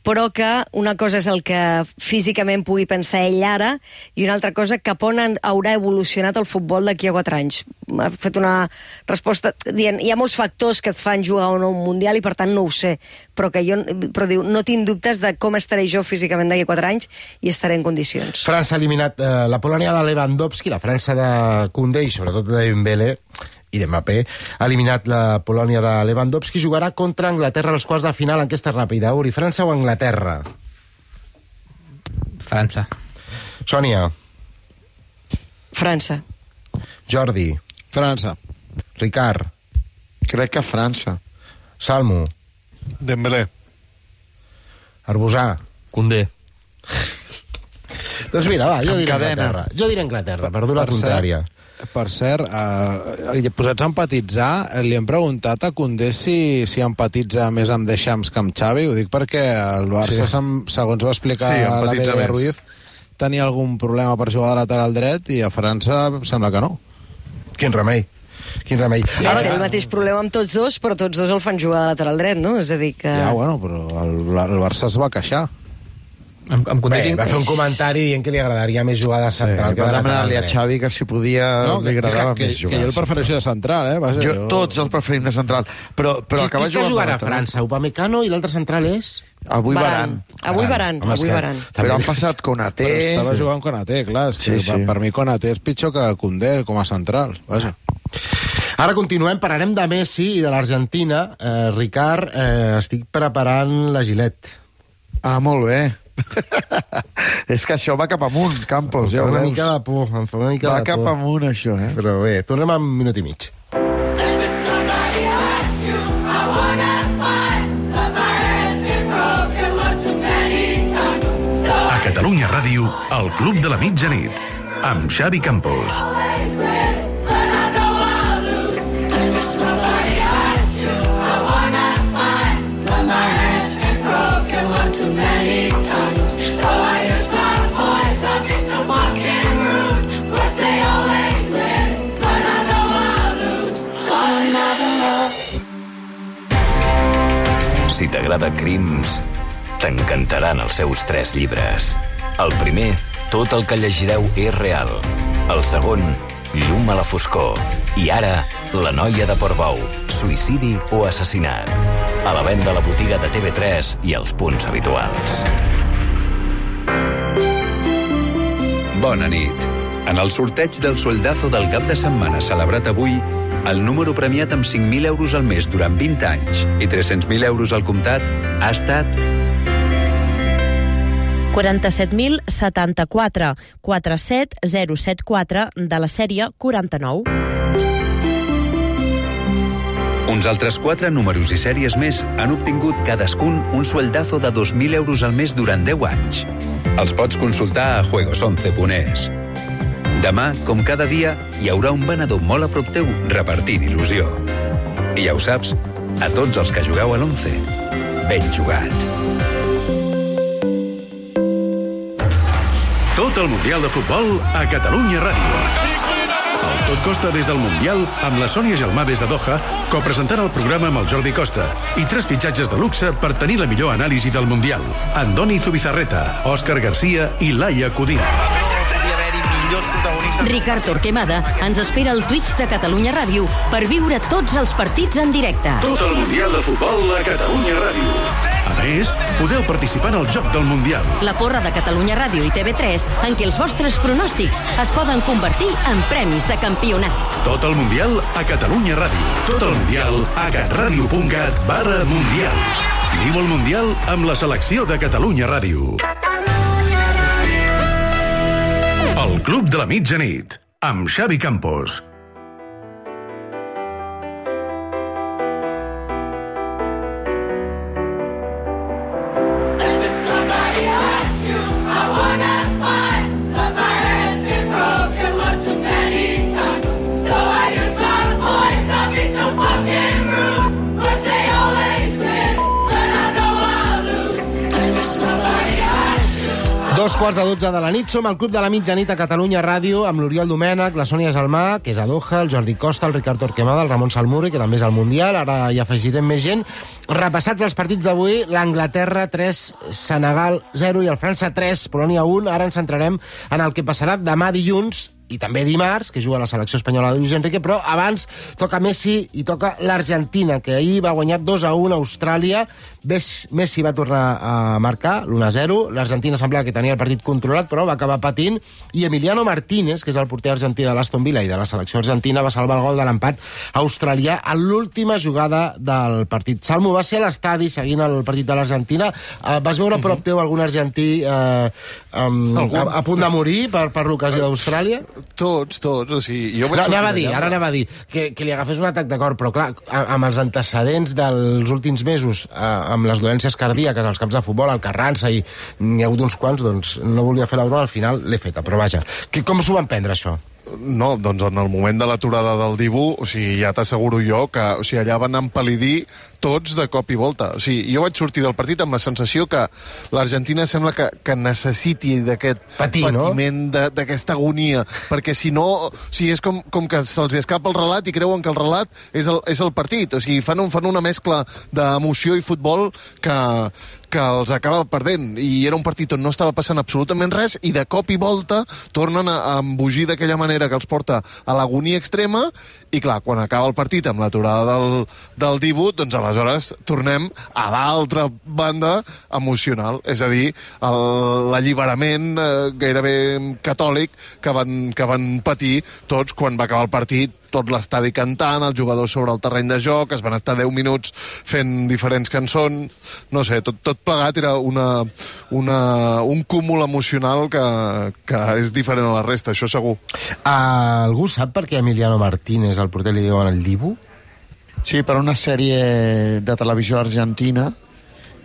Speaker 5: Però que una cosa és el que físicament pugui pensar ell ara i una altra cosa cap on haurà evolucionat el futbol d'aquí a quatre anys. Ha fet una resposta dient hi ha molts factors que et fan jugar o no un Mundial i per tant no ho sé, però que jo però diu, no tinc dubtes de com estaré jo físicament d'aquí a quatre anys i estaré en condicions.
Speaker 2: França ha eliminat eh, la Polònia de Lewandowski, la França de Koundé i sobretot de Dembélé i de Mbappé, ha eliminat la Polònia de Lewandowski, jugarà contra Anglaterra als quarts de final. Enquesta ràpida, Uri, França o Anglaterra?
Speaker 6: França.
Speaker 2: Sònia.
Speaker 5: França.
Speaker 2: Jordi.
Speaker 8: França.
Speaker 2: Ricard.
Speaker 7: Crec que França.
Speaker 2: Salmo.
Speaker 4: Dembélé.
Speaker 2: Arbusà.
Speaker 9: Koundé.
Speaker 2: Doncs mira, va, jo diré
Speaker 7: Encadena.
Speaker 2: Anglaterra. Jo diré Anglaterra, per dur la
Speaker 8: Per cert,
Speaker 2: contrària.
Speaker 8: Per cert, eh, posats a empatitzar, li hem preguntat a Koundé si, si empatitza més amb Deschamps que amb Xavi. Ho dic perquè el Barça,
Speaker 2: Sí.
Speaker 8: sí. segons va explicar
Speaker 4: Sí,
Speaker 8: la
Speaker 4: empatitza
Speaker 8: Bede
Speaker 4: més.
Speaker 8: Ruiz, tenia algun problema per jugar de lateral dret i a França sembla que no.
Speaker 2: Quin remei. Quin remei.
Speaker 5: Ara
Speaker 2: Ara,
Speaker 5: té el mateix problema amb tots dos, però tots dos el fan jugar de lateral dret, no? És a dir que...
Speaker 8: Ja, bueno, però el, el Barça es va queixar.
Speaker 6: Amb, amb Koundé
Speaker 2: bé,
Speaker 6: tinc...
Speaker 2: va fer un comentari dient que li agradaria més jugar de central que
Speaker 7: Va
Speaker 2: de lateral
Speaker 7: demanar-li a
Speaker 2: dret.
Speaker 7: Xavi que si podia
Speaker 8: No,
Speaker 7: li
Speaker 8: que,
Speaker 7: agradava
Speaker 8: que,
Speaker 7: més
Speaker 8: que,
Speaker 7: jugar.
Speaker 8: que jo el prefereixo de central, eh? Vaja,
Speaker 7: Jo, tots els preferim de central. Però, però
Speaker 2: Qui, qui
Speaker 7: acaba
Speaker 2: està
Speaker 7: jugant
Speaker 2: jugant
Speaker 7: de
Speaker 2: a
Speaker 7: lateral.
Speaker 2: França? Upamecano i l'altre central és?
Speaker 7: Avui Varane.
Speaker 5: Avui Varane,
Speaker 2: Home, és
Speaker 5: avui
Speaker 2: que
Speaker 5: Varane.
Speaker 2: també-
Speaker 7: Però han passat Konaté.
Speaker 8: Però estava jugant Konaté, clar. És que
Speaker 7: Sí, sí.
Speaker 8: Per, per mi Konaté és pitjor que Koundé com a central. Vaja.
Speaker 2: Ara continuem, parlarem de Messi i de l'Argentina. Eh, Ricard, eh, estic preparant la Gilet.
Speaker 7: Ah, molt bé. És que això va cap amunt, Campos, ja
Speaker 2: Em fa
Speaker 7: ho
Speaker 2: una
Speaker 7: veus.
Speaker 2: mica de por, em fa una mica
Speaker 7: Va
Speaker 2: de
Speaker 7: cap
Speaker 2: por.
Speaker 7: amunt, això, eh?
Speaker 2: Però bé, tornem en un minut i mig.
Speaker 3: A Catalunya Ràdio, el Club de la Mitjanit, amb Xavi Campos.
Speaker 11: Si t'agrada Crims, t'encantaran els seus tres llibres. El primer, tot el que llegireu és real. El segon, Llum a la foscor. I ara, La noia de Portbou, suïcidi o assassinat. A la venda a la botiga de T V tres i als punts habituals.
Speaker 12: Bona nit. En el sorteig del sueldazo del cap de setmana celebrat avui, el número premiat amb cinc mil euros al mes durant vint anys i tres-cents mil euros al comptat ha estat
Speaker 13: quaranta-set mil setanta-quatre, quatre set zero set quatre de la sèrie quaranta-nou.
Speaker 12: Uns altres quatre números i sèries més han obtingut cadascun un sueldazo de dos mil euros al mes durant deu anys. Els pots consultar a juegos once punt es. Demà, com cada dia, hi haurà un venedor molt a prop teu repartint il·lusió. I ja ho saps, a tots els que jugueu a l'once, ben jugat.
Speaker 3: Tot el Mundial de Futbol a Catalunya Ràdio. El Tot Costa des del Mundial amb la Sònia Gelmà des de Doha, copresentant el programa amb el Jordi Costa i tres fitxatges de luxe per tenir la millor anàlisi del Mundial. Andoni Zubizarreta, Òscar Garcia i Laia Codina.
Speaker 14: Ricard Torquemada ens espera al Twitch de Catalunya Ràdio per viure tots els partits en directe.
Speaker 3: Tot el Mundial de Futbol a Catalunya Ràdio. A més, podeu participar en el Joc del Mundial.
Speaker 14: La porra de Catalunya Ràdio i T V tres en què els vostres pronòstics es poden convertir en premis de campionat.
Speaker 3: Tot el Mundial a Catalunya Ràdio. Tot el Mundial a catradio punt cat barra Mundial. Viu el Mundial amb la selecció de Catalunya Ràdio. El Club de la Mitjanit, amb Xavi Campos.
Speaker 1: I'll be
Speaker 2: Dos quarts de dotze de la nit, som al Club de la Mitjanit a Catalunya Ràdio, amb l'Oriol Domènech, la Sònia Gelmà, que és a Doha, el Jordi Costa, el Ricard Torquemada, el Ramon Salmuri, que també és al Mundial, ara hi afegirem més gent. Repassats els partits d'avui, l'Anglaterra tres, Senegal zero i el França tres, Polònia un. Ara ens centrarem en el que passarà demà dilluns, i també dimarts, que juga la selecció espanyola de Luis Enrique, però abans toca Messi i toca l'Argentina, que ahir va guanyar dos a un a Austràlia. Messi va tornar a marcar l'u a zero, l'Argentina semblava que tenia el partit controlat, però va acabar patint, i Emiliano Martínez, que és el porter argentí de l'Aston Villa i de la selecció argentina, va salvar el gol de l'empat australià a l'última jugada del partit. Salmo, va ser a l'estadi seguint el partit de l'Argentina. Uh, vas veure a prop teu algun argentí uh, um, a, a punt de morir per, per l'ocasió d'Austràlia?
Speaker 4: Tots, tots. O sigui, jo vaig
Speaker 2: no, anava a dir,
Speaker 4: allà,
Speaker 2: ara anava a dir que, que li agafés un atac de cor, però clar, amb els antecedents dels últims mesos, amb les dolències cardíaques als camps de futbol, al Carranza, i n'hi ha hagut uns quants, doncs no volia fer la broma, al final l'he feta, però vaja. Que, com s'ho van prendre, això?
Speaker 4: No, doncs en el moment de l'aturada del Dibu, o sigui, ja t'asseguro jo que o sigui, allà van empal·lidir tots de cop i volta. O sigui, jo vaig sortir del partit amb la sensació que l'Argentina sembla que, que necessiti d'aquest patiment, no? d'aquesta agonia, perquè si no, o sigui, és com, com que se'ls escapa el relat i creuen que el relat és el, és el partit. O sigui, fan, un, fan una mescla d'emoció i futbol que, que els acaba perdent, i era un partit on no estava passant absolutament res, i de cop i volta tornen a, a embogir d'aquella manera que els porta a l'agonia extrema, i clar, quan acaba el partit amb l'aturada del, del Dibu, doncs aleshores tornem a l'altra banda emocional, és a dir, l'alliberament eh, gairebé catòlic que van, que van patir tots quan va acabar el partit, tot l'estadi cantant, els jugadors sobre el terreny de joc, es van estar deu minuts fent diferents cançons, no sé, tot, tot plegat era una, una, un cúmul emocional que, que és diferent a la resta, això segur.
Speaker 2: Algú sap per què Emiliano Martínez, el porter, li diuen el Dibu?
Speaker 7: Sí, per una sèrie de televisió argentina,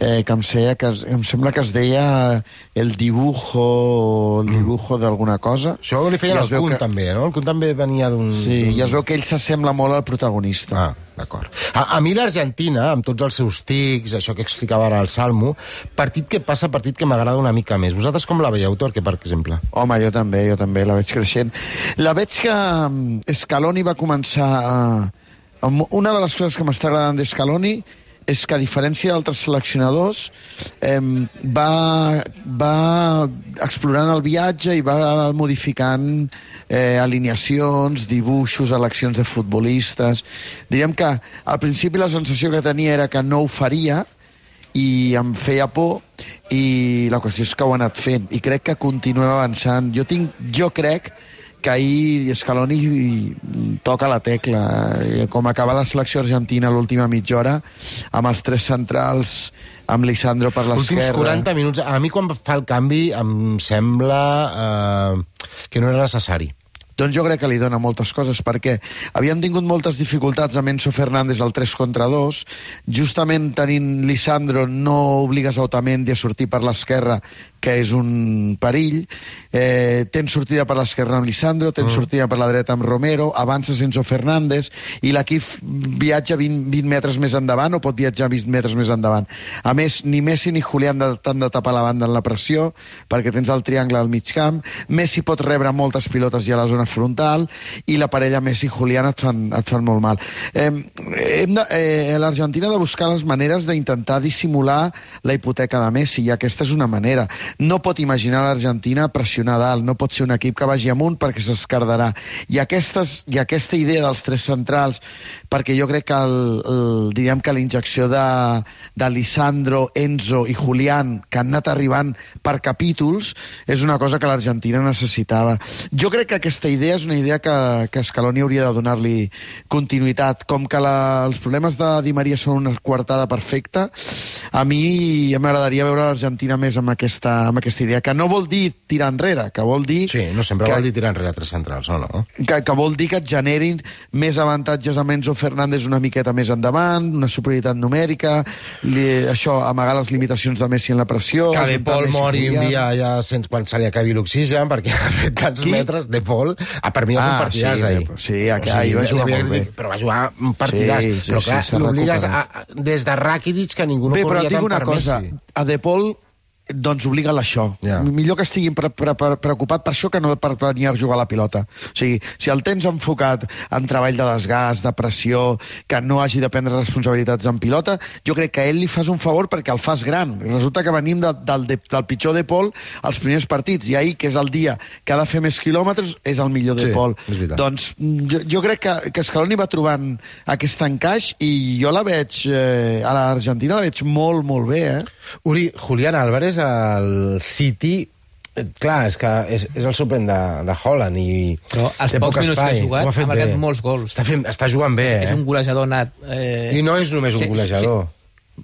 Speaker 7: eh, que, em sé, que es, em sembla que es deia El Dibujo, el dibujo d'alguna cosa.
Speaker 2: Això li feien el Kun, que... també, no? El Kun també venia d'un...
Speaker 7: Sí, i es veu que ell s'assembla molt al protagonista.
Speaker 2: Ah, d'acord. A, a mi l'Argentina, amb tots els seus tics, això que explicava ara el Salmo, partit que passa, partit que m'agrada una mica més. Vosaltres com la veieu, Torque, per exemple?
Speaker 7: Home, jo també, jo també, la veig creixent. La veig que Scaloni va començar a... Una de les coses que m'està agradant d'Scaloni és que, a diferència d'altres seleccionadors, eh, va, va explorant el viatge i va modificant eh, alineacions, dibuixos, eleccions de futbolistes. Diríem que al principi la sensació que tenia era que no ho faria i em feia por, i la qüestió és que ho ha anat fent i crec que continua avançant. Jo, tinc, jo crec que ahir Scaloni toca la tecla. Com acaba la selecció argentina l'última mitja hora, amb els tres centrals, amb Lisandro per l'esquerra...
Speaker 2: Últims quaranta minuts. A mi, quan fa el canvi, em sembla eh, que no era necessari.
Speaker 7: Doncs jo crec que li dona moltes coses, perquè havien tingut moltes dificultats amb Enzo Fernández al tres contra dos, justament tenint Lisandro no obligues a Otamendi a sortir per l'esquerra, que és un perill. Eh, tens sortida per l'esquerra amb Lisandro, tens mm. sortida per la dreta amb Romero, avances Enzo Fernández, i l'equip viatja vint, vint metres més endavant, o pot viatjar vint metres més endavant. A més, ni Messi ni Julián t'han de tapar la banda en la pressió, perquè tens el triangle al mig camp. Messi pot rebre moltes pilotes ja a la zona frontal, i la parella Messi-Julián et, fan, et fan molt mal. Eh, hem de, eh, L'Argentina ha de buscar les maneres d'intentar dissimular la hipoteca de Messi, i aquesta és una manera. No pot imaginar l'Argentina pressionar dalt, no pot ser un equip que vagi amunt perquè s'escardarà. I, aquestes, I aquesta idea dels tres centrals, perquè jo crec que el, el, diríem que la injecció de, de Lisandro, Enzo i Julián, que han anat arribant per capítols, és una cosa que l'Argentina necessitava. Jo crec que aquesta idea és una idea que, que Scaloni hauria de donar-li continuïtat. Com que la, els problemes de Di Maria són una coartada perfecta, a mi m'agradaria veure l'Argentina més amb aquesta amb aquesta idea, que no vol dir tirar enrere, que vol dir...
Speaker 2: Sí, no sempre
Speaker 7: que,
Speaker 2: vol dir tirar enrere a tres centrals, o no?
Speaker 7: Que, que vol dir que et generin més avantatges amb Enzo Fernández una miqueta més endavant, una superioritat numèrica, li, això, amagar les limitacions de Messi en la pressió...
Speaker 2: Que De Paul mori un dia ja sense, quan se li acabi l'oxigen, perquè ha fet tants Qui? metres. De Paul, ah, per mi va fer un partidàs
Speaker 7: sí,
Speaker 2: ahir.
Speaker 7: Sí, aquí, o sigui, va jugar molt bé.
Speaker 2: Però va jugar un partidàs. Sí, sí, però clar, sí, l'obligues des de Rakitic, que ningú no
Speaker 7: bé,
Speaker 2: corria tant per Messi.
Speaker 7: Bé, però et dic una cosa, a De Paul doncs obliga'l a això.
Speaker 2: Ja.
Speaker 7: Millor que estiguin pre pre pre preocupat per això que no per venir a jugar a la pilota. O sigui, si el tens enfocat en treball de desgast, de pressió, que no hagi de prendre responsabilitats en pilota, jo crec que a ell li fas un favor perquè el fas gran. Resulta que venim de, del, de, del pitjor de Pol als primers partits, i ahir, que és el dia que ha de fer més quilòmetres, és el millor de
Speaker 2: Sí,
Speaker 7: Pol.
Speaker 2: és veritat.
Speaker 7: Doncs jo, jo crec que, que Scaloni va trobant aquest encaix, i jo la veig, eh, a l'Argentina la veig molt, molt bé, eh?
Speaker 2: Uri, Julián Álvarez al City, eh, clar, és que és, és el suplent de, de Holland i
Speaker 6: Però els
Speaker 2: té
Speaker 6: pocs
Speaker 2: poc
Speaker 6: minuts que
Speaker 2: espai.
Speaker 6: ha jugat
Speaker 2: Ho
Speaker 6: ha
Speaker 2: fet
Speaker 6: marcat
Speaker 2: bé.
Speaker 6: molts gols.
Speaker 2: Està, fent, està jugant bé, eh?
Speaker 6: És un golejador nat. Eh...
Speaker 2: I no és només un
Speaker 6: Sí,
Speaker 2: golejador.
Speaker 6: sí.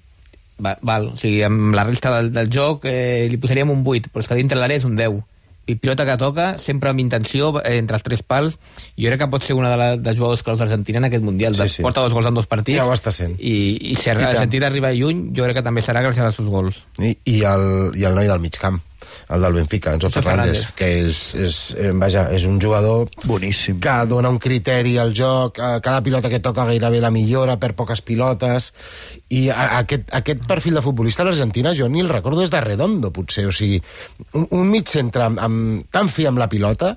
Speaker 6: Va, val, o sigui, amb la resta del, del joc eh, li posaríem un vuit, però és que dintre l'àrea és un deu. I pilota que toca, sempre amb intenció, eh, entre els tres pals. Jo crec que pot ser una de les de jugadors claus d'Argentina en aquest Mundial.
Speaker 2: Sí, sí.
Speaker 6: Porta dos gols en dos partits.
Speaker 2: Ja ho està sent.
Speaker 6: I, i si Argentina arriba lluny, jo crec que també serà gràcies als seus gols.
Speaker 2: I, i, el, i el noi del mig camp, el del Benfica, Enzo
Speaker 6: Enzo
Speaker 2: Fernández,
Speaker 6: Fernández.
Speaker 2: que és, és, eh, vaja, és un jugador
Speaker 7: boníssim,
Speaker 2: que dona un criteri al joc, eh, cada pilota que toca gairebé la millora, per poques pilotes, i a, aquest, aquest perfil de futbolista a l'Argentina jo ni el recordo des de Redondo, potser, o sigui, un, un mig centre amb, amb, tan fi amb la pilota,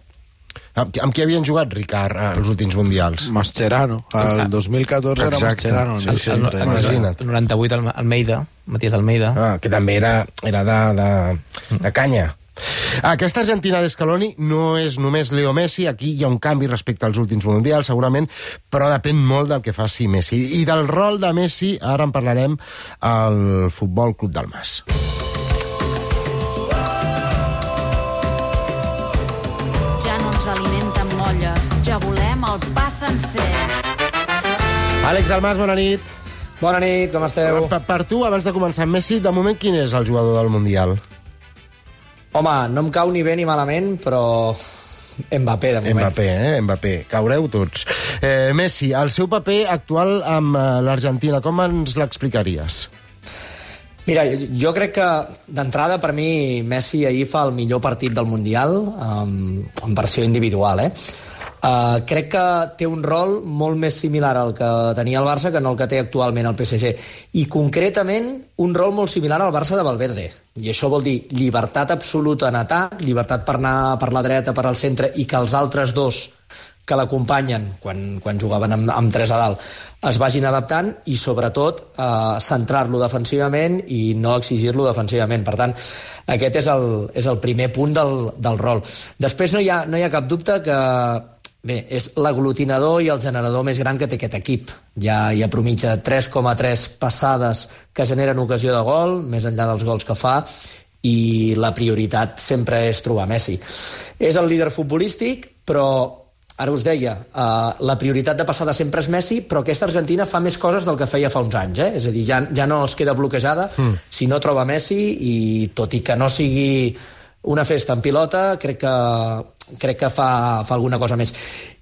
Speaker 2: amb, amb qui havien jugat Ricard als últims mundials?
Speaker 8: Mascherano, el dos mil catorze era Mascherano.
Speaker 2: Sí, sí, el, el, imagina't.
Speaker 6: El noranta-vuit, el Almeida, Matías Almeida.
Speaker 2: Ah, que també era, era de, de, de canya. Aquesta Argentina d'Scaloni no és només Leo Messi, aquí hi ha un canvi respecte als últims mundials, segurament, però depèn molt del que faci Messi. I del rol de Messi, ara en parlarem al Futbol Club del Mas.
Speaker 15: Ja no ens alimenten molles, ja volem el pa sencer.
Speaker 2: Àlex Almas, bona nit.
Speaker 16: Bona nit, com esteu?
Speaker 2: Per, per tu, abans de començar amb Messi, de moment quin és el jugador del Mundial?
Speaker 16: Home, no em cau ni bé ni malament, però Mbappé, de moment.
Speaker 2: Mbappé, eh? Mbappé. Caureu tots. Eh, Messi, el seu paper actual amb eh, l'Argentina, com ens l'explicaries?
Speaker 16: Mira, jo, jo crec que d'entrada per mi Messi ahir fa el millor partit del Mundial um, en versió individual, eh? Uh, crec que té un rol molt més similar al que tenia el Barça que no el que té actualment el P S G, i concretament un rol molt similar al Barça de Valverde, i això vol dir llibertat absoluta en atac, llibertat per anar per la dreta, per al centre, i que els altres dos que l'acompanyen quan, quan jugaven amb, amb tres a dalt es vagin adaptant, i sobretot eh, centrar-lo defensivament i no exigir-lo defensivament. Per tant, aquest és el, és el primer punt del, del rol. Després no hi ha, no hi ha cap dubte que bé, és l'aglutinador i el generador més gran que té aquest equip. Hi ha, hi ha promitja de tres coma tres passades que generen ocasió de gol, més enllà dels gols que fa, i la prioritat sempre és trobar Messi. És el líder futbolístic, però ara us deia, uh, la prioritat de passada sempre és Messi, però aquesta Argentina fa més coses del que feia fa uns anys, eh? És a dir, ja, ja no es queda bloquejada mm. si no troba Messi, i tot i que no sigui una festa en pilota, crec que, crec que fa, fa alguna cosa més.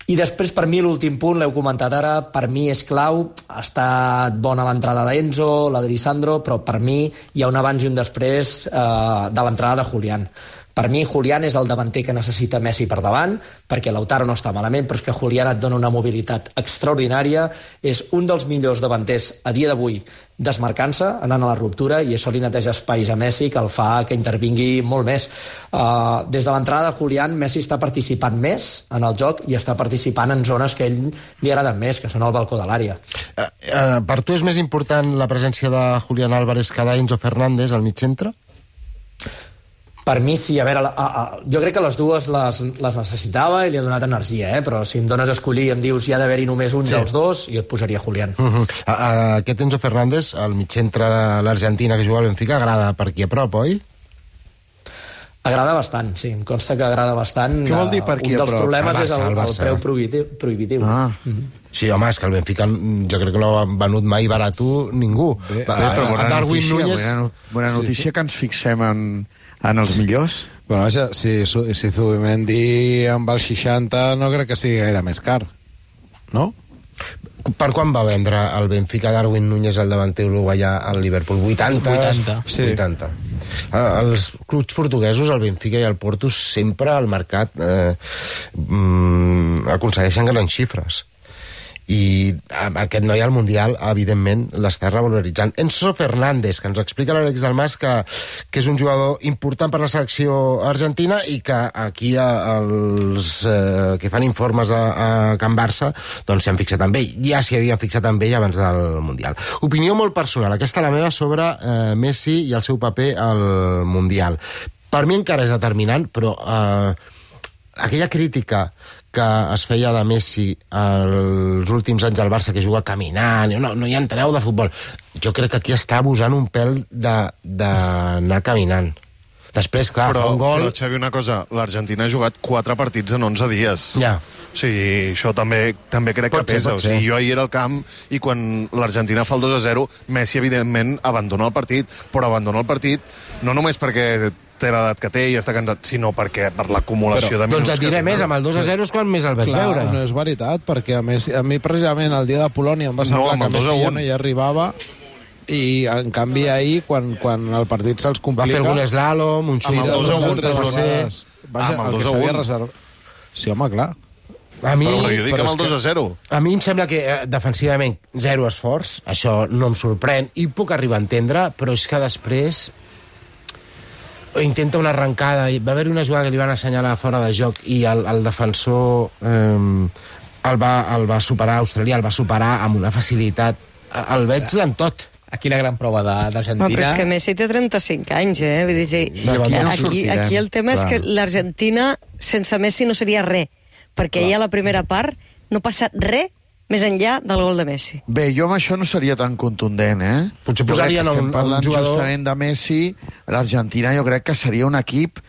Speaker 16: I després, per mi, l'últim punt, l'heu comentat ara, per mi és clau, ha estat bona l'entrada d'Enzo, la d'Elisandro, però per mi hi ha un abans i un després eh, de l'entrada de Julián. Per mi, Julián és el davanter que necessita Messi per davant, perquè Lautaro no està malament, però és que Julián et dona una mobilitat extraordinària, és un dels millors davanters a dia d'avui desmarcant-se, anant a la ruptura, i això li neteja espais a Messi, que el fa que intervingui molt més. Uh, des de l'entrada de Julián, Messi està participant més en el joc i està participant en zones que a ell li agraden més, que són el balcó de l'àrea.
Speaker 2: Uh, uh, per tu és més important la presència de Julián Álvarez que d'Enzo Fernández al mig centre?
Speaker 16: Per mi sí, a veure, a, a, jo crec que les dues les, les necessitava i li ha donat energia, eh? Però si em dones a escollir i em dius hi ha d'haver-hi només un sí. dels dos, jo et posaria Julián.
Speaker 2: Uh -huh. a, a, aquest Enzo Fernández, al mig centre de l'Argentina que juga al Benfica, agrada per aquí a prop, oi?
Speaker 16: Agrada bastant, sí, em consta que agrada bastant.
Speaker 7: Què vol dir per aquí
Speaker 16: un
Speaker 7: a
Speaker 16: dels
Speaker 7: prop?
Speaker 16: problemes
Speaker 2: Barça,
Speaker 16: és el,
Speaker 2: el
Speaker 16: el
Speaker 2: Barça.
Speaker 16: preu prohibitiu. prohibitiu.
Speaker 7: Ah.
Speaker 16: Mm -hmm.
Speaker 2: Sí, home, és que el Benfica jo crec que no ha venut mai barat ningú.
Speaker 7: Bé, bé, però bona
Speaker 2: Darwin
Speaker 7: notícia,
Speaker 2: Núñez...
Speaker 7: bona, bona notícia sí. que ens fixem en, en els millors.
Speaker 8: Bueno, vaja, si, si Zubimendi amb el seixanta no crec que sigui gaire més car, no?
Speaker 2: Per quan va vendre el Benfica Darwin Núñez, el davanter uruguaià, al Liverpool? vuitanta?
Speaker 6: vuitanta.
Speaker 2: Sí. vuitanta. Els clubs portuguesos, el Benfica i el Porto, sempre al mercat eh, mm, aconsegueixen grans xifres. i aquest noi al Mundial, evidentment, l'està revaloritzant. Enzo Fernández, que ens explica l'Àlex Dalmas que, que és un jugador important per la selecció argentina i que aquí els eh, que fan informes a, a Can Barça doncs s'han fixat amb ell. Ja s'hi havien fixat amb ell abans del Mundial. Opinió molt personal, aquesta la meva sobre eh, Messi i el seu paper al Mundial. Per mi encara és determinant, però eh, aquella crítica que es feia de Messi els últims anys al Barça, que juga caminant, no, no hi enteneu de futbol. Jo crec que aquí està abusant un pèl d'anar caminant. Després, clar,
Speaker 4: però,
Speaker 2: fa un gol...
Speaker 4: Però, Xavi, una cosa, l'Argentina ha jugat quatre partits en onze dies.
Speaker 2: Ja.
Speaker 4: O sigui, això també, també crec
Speaker 2: pot
Speaker 4: que
Speaker 2: ser,
Speaker 4: pesa. O sigui, jo ahir era al camp i quan l'Argentina fa el dos a zero, Messi, evidentment, abandona el partit, però abandona el partit no només perquè té l'edat que té i està cansat, sinó perquè per l'acumulació de minuts...
Speaker 2: Doncs et diré més, amb el dos a zero és quan més el veig
Speaker 8: Clar,
Speaker 2: veure.
Speaker 8: no és veritat, perquè a, més, a mi precisament el dia de Polònia em va semblar
Speaker 4: No,
Speaker 8: que Messi ja no hi arribava i en canvi ahir, quan, quan el partit se'ls complica...
Speaker 2: Va fer algun slalom, un xut...
Speaker 8: Amb el dos a un, tres vegades. Vaja,
Speaker 4: amb el
Speaker 8: el
Speaker 4: dos
Speaker 8: que
Speaker 4: a
Speaker 8: s'havia
Speaker 4: un.
Speaker 8: reservat... Sí, home, clar.
Speaker 2: A mi,
Speaker 4: però jo dic
Speaker 2: però
Speaker 4: amb el dos a zero.
Speaker 2: A mi em sembla que eh, defensivament zero esforç, això no em sorprèn i puc arribar a entendre, però és que després intenta una arrencada i va haver-hi una jugada que li van assenyalar fora de joc i el, el defensor eh, el, va, el va superar, australià el va superar amb una facilitat, el veig en tot.
Speaker 6: Aquí la gran prova d'Argentina...
Speaker 5: No, però és que Messi té trenta-cinc anys, eh? Vull dir, sí,
Speaker 2: D'aquí no
Speaker 5: aquí,
Speaker 2: sortirem,
Speaker 5: aquí el tema
Speaker 2: clar.
Speaker 5: és que l'Argentina sense Messi no seria res, perquè ja a la primera part no passa res més enllà del gol de Messi.
Speaker 7: Bé, jo amb això no seria tan contundent, eh?
Speaker 2: Potser
Speaker 7: Jo crec
Speaker 2: posarien
Speaker 7: que estem
Speaker 2: un- un
Speaker 7: parlant
Speaker 2: jugador-
Speaker 7: justament de Messi. L'Argentina jo crec que seria un equip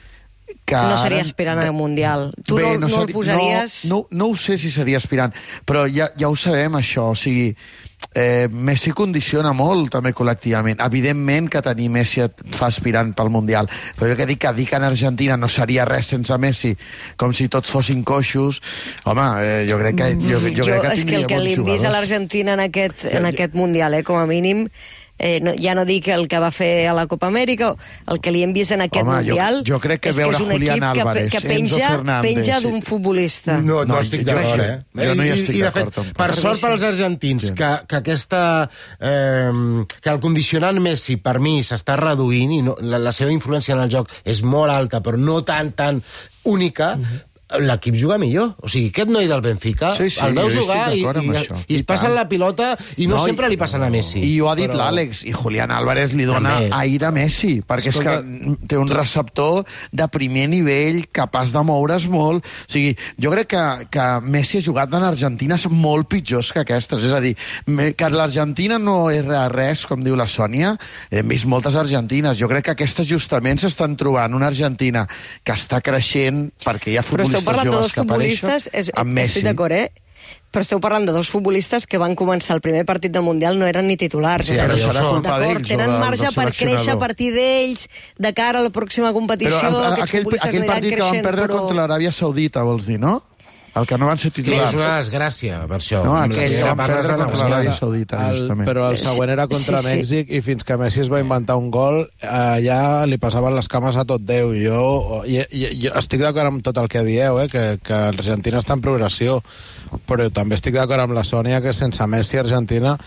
Speaker 7: que...
Speaker 5: No seria
Speaker 7: ara-
Speaker 5: aspirant al Mundial. Tu
Speaker 7: Bé,
Speaker 5: no, no,
Speaker 7: seri-
Speaker 5: el posaries...
Speaker 7: No, no, no ho sé si seria aspirant, però ja, ja ho sabem, això. O sigui, eh, Messi condiciona molt, també, col·lectivament. Evidentment que tenir Messi et fa aspirant pel Mundial, però jo que dic que dir que en Argentina no seria res sense Messi, com si tots fossin coixos, home, eh, jo crec que, jo, jo,
Speaker 5: jo
Speaker 7: crec que
Speaker 5: és que
Speaker 7: tindria
Speaker 5: el que
Speaker 7: bons
Speaker 5: li hem vist a
Speaker 7: jugadors.
Speaker 5: l'Argentina en, aquest, en aquest Mundial, eh, com a mínim, eh, no, ja no dic el que va fer a la Copa Amèrica, el que li hem vist en aquest
Speaker 7: Home, jo-
Speaker 5: Mundial
Speaker 7: jo crec que
Speaker 5: és
Speaker 7: veure
Speaker 5: que és un
Speaker 7: Julián
Speaker 5: equip que,
Speaker 7: Álvarez,
Speaker 5: que
Speaker 7: Enzo
Speaker 5: penja,
Speaker 7: Fernández,
Speaker 5: penja
Speaker 7: sí.
Speaker 5: d'un futbolista.
Speaker 2: No, no,
Speaker 7: No,
Speaker 2: estic
Speaker 7: jo-
Speaker 2: d'acord,
Speaker 7: jo-
Speaker 2: eh?
Speaker 7: jo no hi
Speaker 2: I-
Speaker 7: estic
Speaker 2: i, de
Speaker 7: d'acord,
Speaker 2: fet,
Speaker 7: tampoc.
Speaker 2: per sort pels argentins, que, que aquesta... Eh, que el condicionant Messi, per mi, s'està reduint i no, la, la seva influència en el joc és molt alta, però no tan, tan única, l'equip juga millor. O sigui, aquest noi del Benfica
Speaker 7: Sí, sí,
Speaker 2: el veu
Speaker 7: jo
Speaker 2: jugar
Speaker 7: estic
Speaker 2: i,
Speaker 7: d'acord amb
Speaker 2: i,
Speaker 7: això.
Speaker 2: i
Speaker 7: I
Speaker 2: es passen
Speaker 7: tant.
Speaker 2: la pilota i no,
Speaker 7: No,
Speaker 2: sempre
Speaker 7: i-
Speaker 2: li passen a Messi.
Speaker 7: I ho ha dit
Speaker 2: Però-
Speaker 7: l'Àlex, i Julián Álvarez li dona
Speaker 2: També.
Speaker 7: aire a Messi, perquè
Speaker 8: Escolta,
Speaker 7: és que té un receptor de primer nivell, capaç de moure's molt. O sigui, jo crec que, que Messi ha jugat en Argentines molt pitjors que aquestes. És a dir, me- que l'Argentina no és res, com diu la Sònia. Hem vist moltes argentines. Jo crec que aquestes justament s'estan trobant una Argentina que està creixent perquè hi ha
Speaker 5: Però esteu
Speaker 7: futbolistes
Speaker 5: parlant de
Speaker 7: joves
Speaker 5: dos
Speaker 7: que apareixen
Speaker 5: futbolistes, és,
Speaker 7: amb Messi.
Speaker 5: estic d'acord, eh? Però esteu parlant de dos futbolistes que van començar el primer partit del Mundial, no eren ni titulars.
Speaker 7: Sí,
Speaker 5: és a
Speaker 7: però
Speaker 5: dir,
Speaker 7: serà culpa
Speaker 5: d'acord,
Speaker 7: d'ells o
Speaker 5: tenen
Speaker 7: del-
Speaker 5: marge
Speaker 7: del
Speaker 5: per
Speaker 7: seleccionador.
Speaker 5: créixer a partir d'ells de cara a la pròxima competició.
Speaker 7: Però el,
Speaker 5: aquests
Speaker 7: aquell,
Speaker 5: futbolistes
Speaker 7: aquell
Speaker 5: aniran
Speaker 7: partit que van
Speaker 5: creixent,
Speaker 7: perdre
Speaker 5: però...
Speaker 7: contra l'Aràbia Saudita, vols dir, no? El que no van ser
Speaker 2: Que és
Speaker 7: titulars.
Speaker 2: una desgràcia, per això.
Speaker 7: No,
Speaker 2: Amb la
Speaker 7: aquell que
Speaker 2: seva
Speaker 7: van
Speaker 2: part
Speaker 7: perdre
Speaker 2: de
Speaker 7: contra
Speaker 2: negociar.
Speaker 7: l'Aràbia Saudita,
Speaker 8: El,
Speaker 7: justament.
Speaker 8: però el següent era contra
Speaker 5: Sí, sí.
Speaker 8: Mèxic i fins que Messi es va inventar un gol allà li passaven les cames a tot Déu i jo, i, i, jo estic d'acord amb tot el que dieu, eh, que, que l'Argentina està en progressió, però també estic d'acord amb la Sònia que sense Messi Argentina,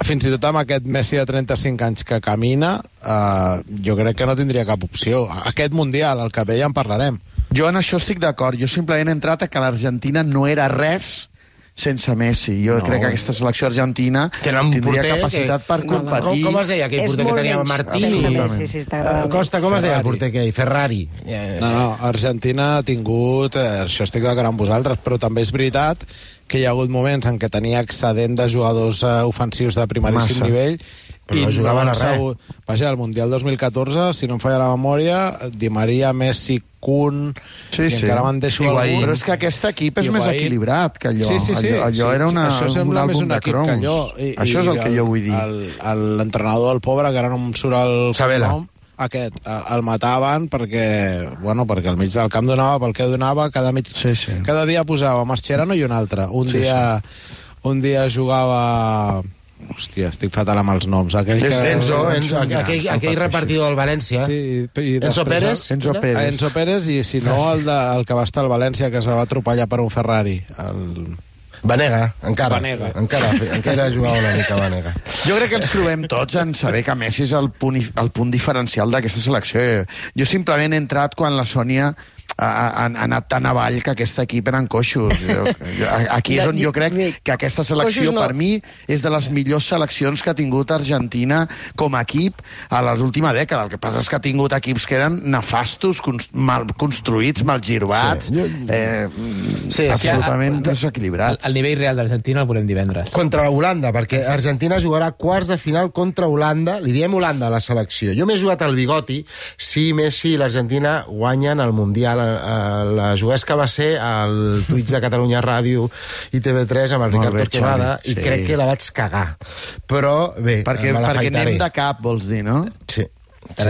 Speaker 8: fins i tot amb aquest Messi de trenta-cinc anys que camina, eh, jo crec que no tindria cap opció. Aquest Mundial, el que ve ja en parlarem.
Speaker 7: Jo en això estic d'acord. Jo simplement he entrat a que l'Argentina no era res sense Messi. Jo
Speaker 2: No.
Speaker 7: crec que aquesta selecció argentina
Speaker 2: Tenen un
Speaker 7: tindria
Speaker 2: porter
Speaker 7: capacitat
Speaker 2: que-
Speaker 7: per competir.
Speaker 2: Com, com es deia aquell
Speaker 5: És
Speaker 2: porter que
Speaker 5: molt
Speaker 2: tenia
Speaker 5: menys
Speaker 2: Martini?
Speaker 5: sense Messi, sí, està agradant.
Speaker 2: Eh, Costa, com es deia el
Speaker 8: Ferrari.
Speaker 2: porter aquell? Ferrari. Eh,
Speaker 8: No, no, Argentina ha tingut, eh, això estic d'acord amb vosaltres, però també és veritat que hi ha hagut moments en què tenia excedent de jugadors eh, ofensius de primeríssim
Speaker 7: Massa.
Speaker 8: nivell
Speaker 2: Però
Speaker 8: i
Speaker 2: no jugaven
Speaker 8: han
Speaker 2: a res.
Speaker 8: sabut- Vaja, el Mundial dos mil catorze, si no em falla la memòria, Di Maria, Messi, Kun,
Speaker 7: Sí,
Speaker 8: i
Speaker 7: sí.
Speaker 8: encara me'n deixo
Speaker 2: Higuaín.
Speaker 8: algun.
Speaker 7: Però és que aquest equip és
Speaker 8: I
Speaker 7: més
Speaker 8: Higuaín.
Speaker 7: equilibrat que allò.
Speaker 8: Sí, sí, sí.
Speaker 7: Allò, allò
Speaker 8: sí,
Speaker 7: era una,
Speaker 8: això
Speaker 7: un
Speaker 8: sembla més
Speaker 7: àlbum
Speaker 8: un
Speaker 7: de
Speaker 8: equip
Speaker 7: cromos.
Speaker 8: que allò. I,
Speaker 7: Això és el que jo vull dir.
Speaker 8: el- el- L'entrenador del pobre, que ara no em surt el
Speaker 2: Sabela.
Speaker 8: nom, aquest, eh, el mataven perquè, bueno, perquè al mig del camp donava pel que donava, cada, mig,
Speaker 7: Sí, sí.
Speaker 8: cada dia posava Mascherano i un altre. Un
Speaker 7: Sí,
Speaker 8: dia un dia jugava... Hòstia, estic fatal amb els noms. Aquell
Speaker 2: És
Speaker 8: que...
Speaker 2: Enzo, Enzo, aquell, aquell repartidor del València.
Speaker 8: Sí, i
Speaker 2: Enzo
Speaker 8: després-
Speaker 2: Pérez?
Speaker 7: Enzo Pérez.
Speaker 8: Enzo Pérez i si no el, de, el que va estar al València que es va atropellar per un Ferrari. El...
Speaker 2: Vanega, encara.
Speaker 8: Vanega.
Speaker 2: Encara, encara jugava una mica Vanega.
Speaker 7: Jo crec que ens trobem tots en saber que Messi és el punt, el punt diferencial d'aquesta selecció. Jo simplement he entrat quan la Sònia ha, ha, ha anat tan avall que aquest equip eren coixos. Jo, jo, aquí és on jo crec que aquesta selecció, no. per mi, és de les millors seleccions que ha tingut Argentina com a equip a l'última dècada. El que passa és que ha tingut equips que eren nefastos, mal construïts, mal girbats, sí. eh, sí, absolutament sí. desequilibrats.
Speaker 6: El, el nivell real d'Argentina el veurem divendres.
Speaker 2: Contra Holanda, perquè Argentina jugarà quarts de final contra Holanda. Li diem Holanda a la selecció. Jo m'he jugat al bigoti si Messi i l'Argentina guanyen el Mundial. La juguesca va ser al Twitch de Catalunya Ràdio i T V tres amb el Ricard Torquemada i sí. crec que la vaig cagar. Però bé,
Speaker 7: perquè, perquè anem de cap, vols dir, no?
Speaker 2: Sí.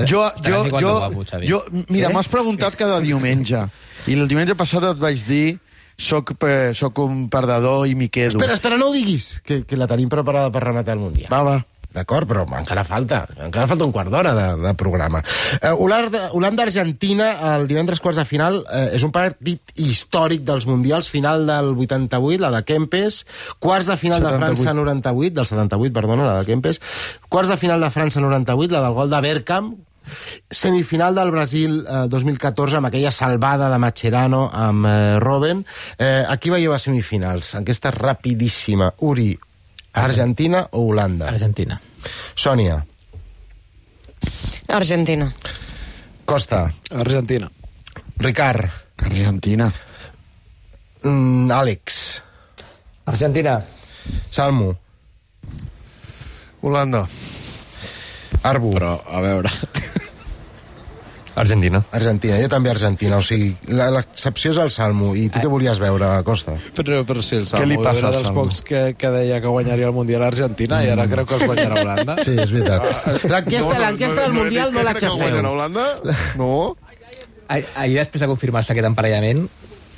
Speaker 7: Jo, jo, jo, jo, mira, m'has preguntat cada diumenge i el diumenge passat et vaig dir soc, soc un perdedor i m'hi quedo.
Speaker 2: Espera, espera, no ho diguis, que, que la tenim preparada per rematar el Mundial.
Speaker 7: Va, va.
Speaker 2: D'acord, però encara falta. Encara falta un quart d'hora de, de programa. Eh, Holanda-Argentina, el divendres quarts de final, eh, és un partit històric dels Mundials, final del vuitanta-vuit, la de Kempes, quarts de final setanta-vuit. De França noranta-vuit, del setanta-vuit, perdona, la de Kempes, quarts de final de França noranta-vuit, la del gol de Bergkamp, semifinal del Brasil eh, dos mil catorze amb aquella salvada de Mascherano amb eh, Robben. Eh, aquí veieu a semifinals, aquesta rapidíssima. Uri, Argentina o Holanda?
Speaker 6: Argentina.
Speaker 2: Sònia.
Speaker 5: Argentina.
Speaker 2: Costa.
Speaker 8: Argentina.
Speaker 2: Ricard.
Speaker 7: Argentina.
Speaker 2: Mm, Àlex.
Speaker 16: Argentina.
Speaker 2: Salmo.
Speaker 4: Holanda.
Speaker 2: Arbu.
Speaker 8: Però, a veure...
Speaker 9: Argentina.
Speaker 2: Argentina, jo també Argentina. O sigui, l'excepció és el Salmo. I tu què volies veure, Costa?
Speaker 8: Però, però sí, el Salmo.
Speaker 7: Què li passa
Speaker 8: era
Speaker 7: al
Speaker 8: dels
Speaker 7: Salmo?
Speaker 8: pocs que, que deia que guanyaria el Mundial a Argentina mm. i ara creu que els guanyarà Holanda.
Speaker 2: Sí, és veritat. L'enquesta no, no, no, del Mundial no, no la xafeu.
Speaker 4: No Holanda? No.
Speaker 6: Ahir, després de confirmar-se aquest emparellament,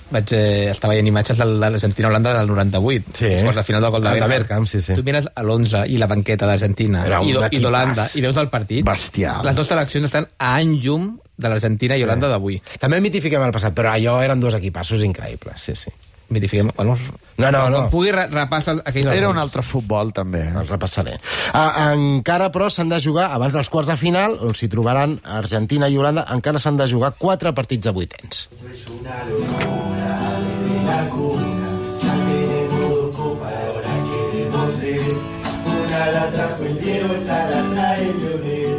Speaker 6: vaig eh, estar veient imatges de l'Argentina-Holanda del noranta-vuit.
Speaker 2: Sí.
Speaker 6: Després del final del gol de
Speaker 2: Bergkamp, sí, sí.
Speaker 6: Tu mires a l'onze i la banqueta d'Argentina i, i d'Holanda i veus el partit.
Speaker 7: Bestial.
Speaker 6: Les dues seleccions estan a any llum de l'Argentina i
Speaker 2: sí.
Speaker 6: Holanda d'avui.
Speaker 2: També mitifiquem el passat, però allò eren dos equipassos increïbles, sí, sí.
Speaker 6: Mitifiquem... Bueno,
Speaker 2: no, no, no.
Speaker 6: Pugui repassar aquell...
Speaker 7: Era un altre futbol, també.
Speaker 2: El repassaré. Ah, encara, però, s'han de jugar, abans dels quarts de final, on s'hi trobaran Argentina i Holanda, encara s'han de jugar quatre partits de vuitens. És una locura de la cuna, ya tenemos copa, ahora queremos tres. Una la trajo el Diego, esta la trae el Lionel.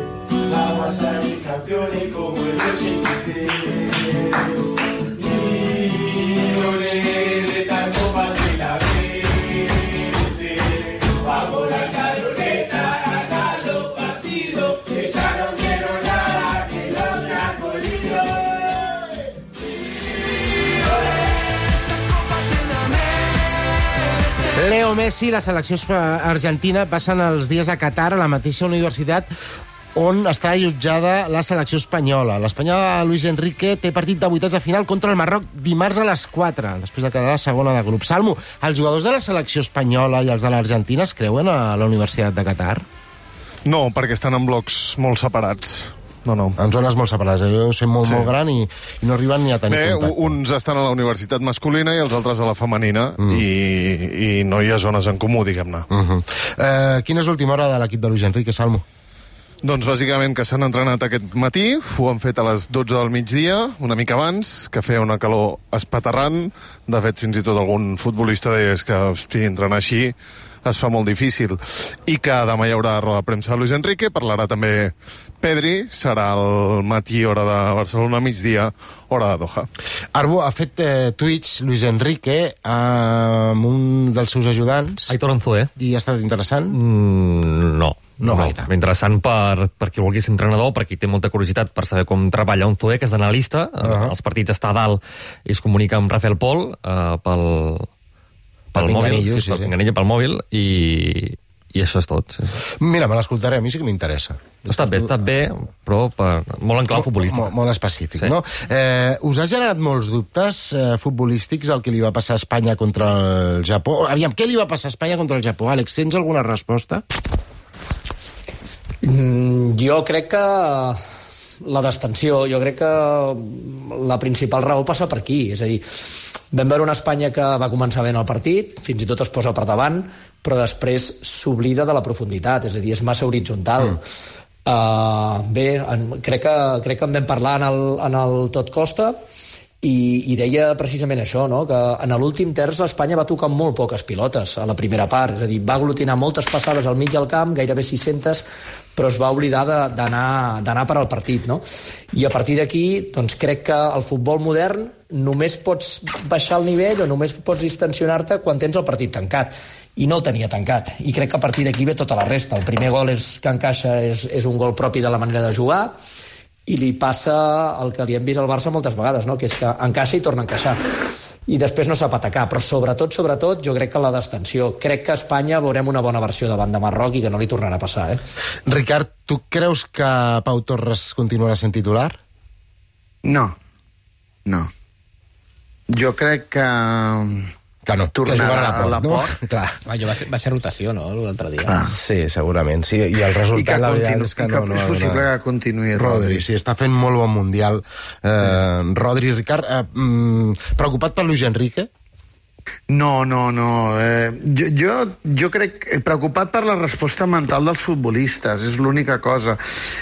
Speaker 2: Vamos a salir campeones como el ochenta y seis. Lionel, esta copa se la merece. Vamos la caloreta a ganar los partidos, que ya no quiero nada que no sea colido. Leo Messi i la selecció argentina passen els dies a Qatar a la mateixa universitat on està allotjada la selecció espanyola. L'Espanya de Luis Enrique té partit de vuitens de final contra el Marroc dimarts a les quatre, després de quedar segona de grup. Salmo, els jugadors de la selecció espanyola i els de l'Argentina es creuen a la Universitat de Qatar?
Speaker 4: No, perquè estan en blocs molt separats. No, no.
Speaker 2: En zones molt separades. Jo sé molt, sí. molt gran i, i no arriben ni a tenir
Speaker 4: Bé,
Speaker 2: contacte.
Speaker 4: Uns estan a la universitat masculina i els altres a la femenina mm. i, i no hi ha zones en comú, diguem-ne.
Speaker 2: Uh -huh. eh, quina és l'última hora de l'equip de Luis Enrique, Salmo?
Speaker 4: Doncs bàsicament que s'han entrenat aquest matí, ho han fet a les dotze del migdia, una mica abans, que feia una calor espaterrant. De fet, fins i tot algun futbolista deia que, hosti, entrenar així es fa molt difícil. I que demà hi haurà roda de premsa de Luis Enrique, parlarà també Pedri, serà el matí, hora de Barcelona, migdia, hora de Doha.
Speaker 2: Arbu ha fet eh, tuits Luis Enrique amb un dels seus ajudants.
Speaker 9: Aitor Anzoé.
Speaker 2: I ha estat interessant?
Speaker 9: Mm, no.
Speaker 2: No, no gaire.
Speaker 9: Interessant per, per qui vulgui ser entrenador, per qui té molta curiositat per saber com treballa un Zoé, que és d'analista. Uh -huh. Els partits està a dalt i es comunica amb Rafael Pol uh, pel, pel, pel mòbil, sí, sí, pel pinganillo, pel mòbil, i, i això és tot. Sí.
Speaker 2: Mira, me l'escoltaré, a mi sí que m'interessa.
Speaker 9: Està bé, està bé, però per, molt en clau futbolístic.
Speaker 2: Molt, molt específic, sí. No? Eh, us ha generat molts dubtes eh, futbolístics el que li va passar a Espanya contra el Japó? Aviam, què li va passar a Espanya contra el Japó? Àlex, tens alguna resposta?
Speaker 16: Mm, jo crec que la destensió, jo crec que la principal raó passa per aquí, és a dir, Vam veure una Espanya que va començar bé en el partit, fins i tot es posa per davant, però després s'oblida de la profunditat, és a dir, és massa horitzontal. Mm. Uh, bé, en, crec, que, crec que en vam parlar en el, en el Tot Costa, i, i deia precisament això, no? Que en l'últim terç l'Espanya va tocar molt poques pilotes a la primera part, és a dir, va aglutinar moltes passades al mig del camp, gairebé sis-centes, però es va oblidar d'anar per al partit, no? I a partir d'aquí, doncs crec que el futbol modern només pots baixar el nivell o només pots distensionar-te quan tens el partit tancat. I no el tenia tancat. I crec que a partir d'aquí ve tota la resta. El primer gol és, que encaixa és, és un gol propi de la manera de jugar, i li passa el que li hem vist al Barça moltes vegades, no? Que és que encaixa i torna a encaixar. I després no sap atacar, però sobretot, sobretot, jo crec que la distensió. Crec que a Espanya veurem una bona versió davant de Marroc i que no li tornarà a passar, eh?
Speaker 2: Ricard, tu creus que Pau Torres continuarà sent titular?
Speaker 7: No, no. Jo crec que...
Speaker 2: Que no, que jugarà a la Port, no?
Speaker 6: Clar. Allò va ser, va ser rotació, no?, l'altre dia.
Speaker 2: Ah, sí, segurament, sí. I el resultat, la veritat, és que no...
Speaker 7: Que és possible que continuï Rodri.
Speaker 2: Rodri, sí, està fent molt bon mundial. Eh, Rodri, Ricard, eh, mm, preocupat per Luis Enrique?
Speaker 7: No, no, no. Eh, jo, jo, jo crec... Preocupat per la resposta mental dels futbolistes, és l'única cosa.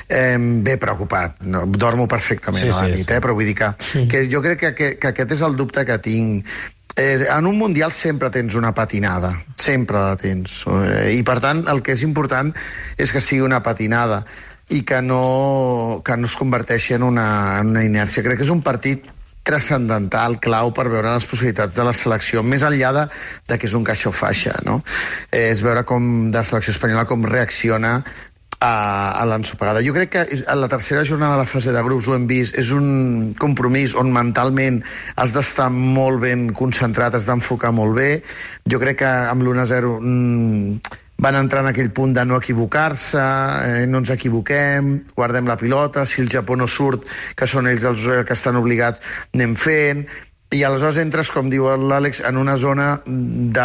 Speaker 7: Eh, bé, preocupat. No, dormo perfectament
Speaker 2: sí,
Speaker 7: a la
Speaker 2: sí,
Speaker 7: nit,
Speaker 2: sí.
Speaker 7: eh, però vull dir que, sí. que jo crec que, que, que aquest és el dubte que tinc. Eh, en un Mundial sempre tens una patinada, sempre la tens. Eh, I, per tant, el que és important és que sigui una patinada i que no, que no es converteixi en una, en una inèrcia. Crec que és un partit transcendental, clau per veure les possibilitats de la selecció, més enllà de, de que és un caixa o faixa, no? Eh, és veure com de la selecció espanyola com reacciona a, a l'ensopegada. Jo crec que a la tercera jornada de la fase de grups ho hem vist, és un compromís on mentalment has d'estar molt ben concentrat, has d'enfocar molt bé. Jo crec que amb l'u a zero mmm, van entrar en aquell punt de no equivocar-se, eh, no ens equivoquem, guardem la pilota, si el Japó no surt, que són ells els que estan obligats, anem fent... I aleshores entres, com diu l'Àlex, en una zona de,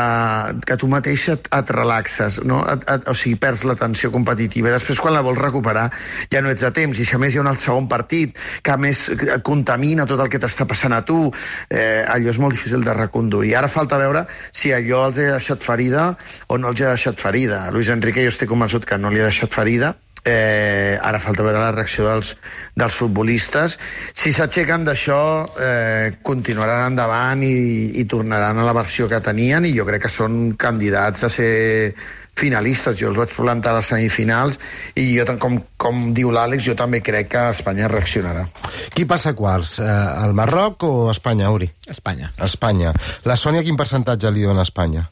Speaker 7: que tu mateix et, et relaxes, no? Et, et, o sigui, perds la tensió competitiva. I després, quan la vols recuperar, ja no ets a temps. I si a més hi ha un segon partit que a més contamina tot el que t'està passant a tu, eh, allò és molt difícil de reconduir. Ara falta veure si allò els ha deixat ferida o no els ha deixat ferida. Luis Enrique jo estic convençut que no li ha deixat ferida. Eh, ara falta veure la reacció dels, dels futbolistes. Si s'aixequen d'això, eh, continuaran endavant i, i tornaran a la versió que tenien, i jo crec que són candidats a ser finalistes. Jo els vaig plantar a les semifinals i jo, com, com diu l'Àlex, jo també crec que Espanya reaccionarà.
Speaker 2: Qui passa quarts? Eh, el Marroc o Espanya, Uri?
Speaker 6: Espanya.
Speaker 2: Espanya. La Sònia, quin percentatge li dona a Espanya?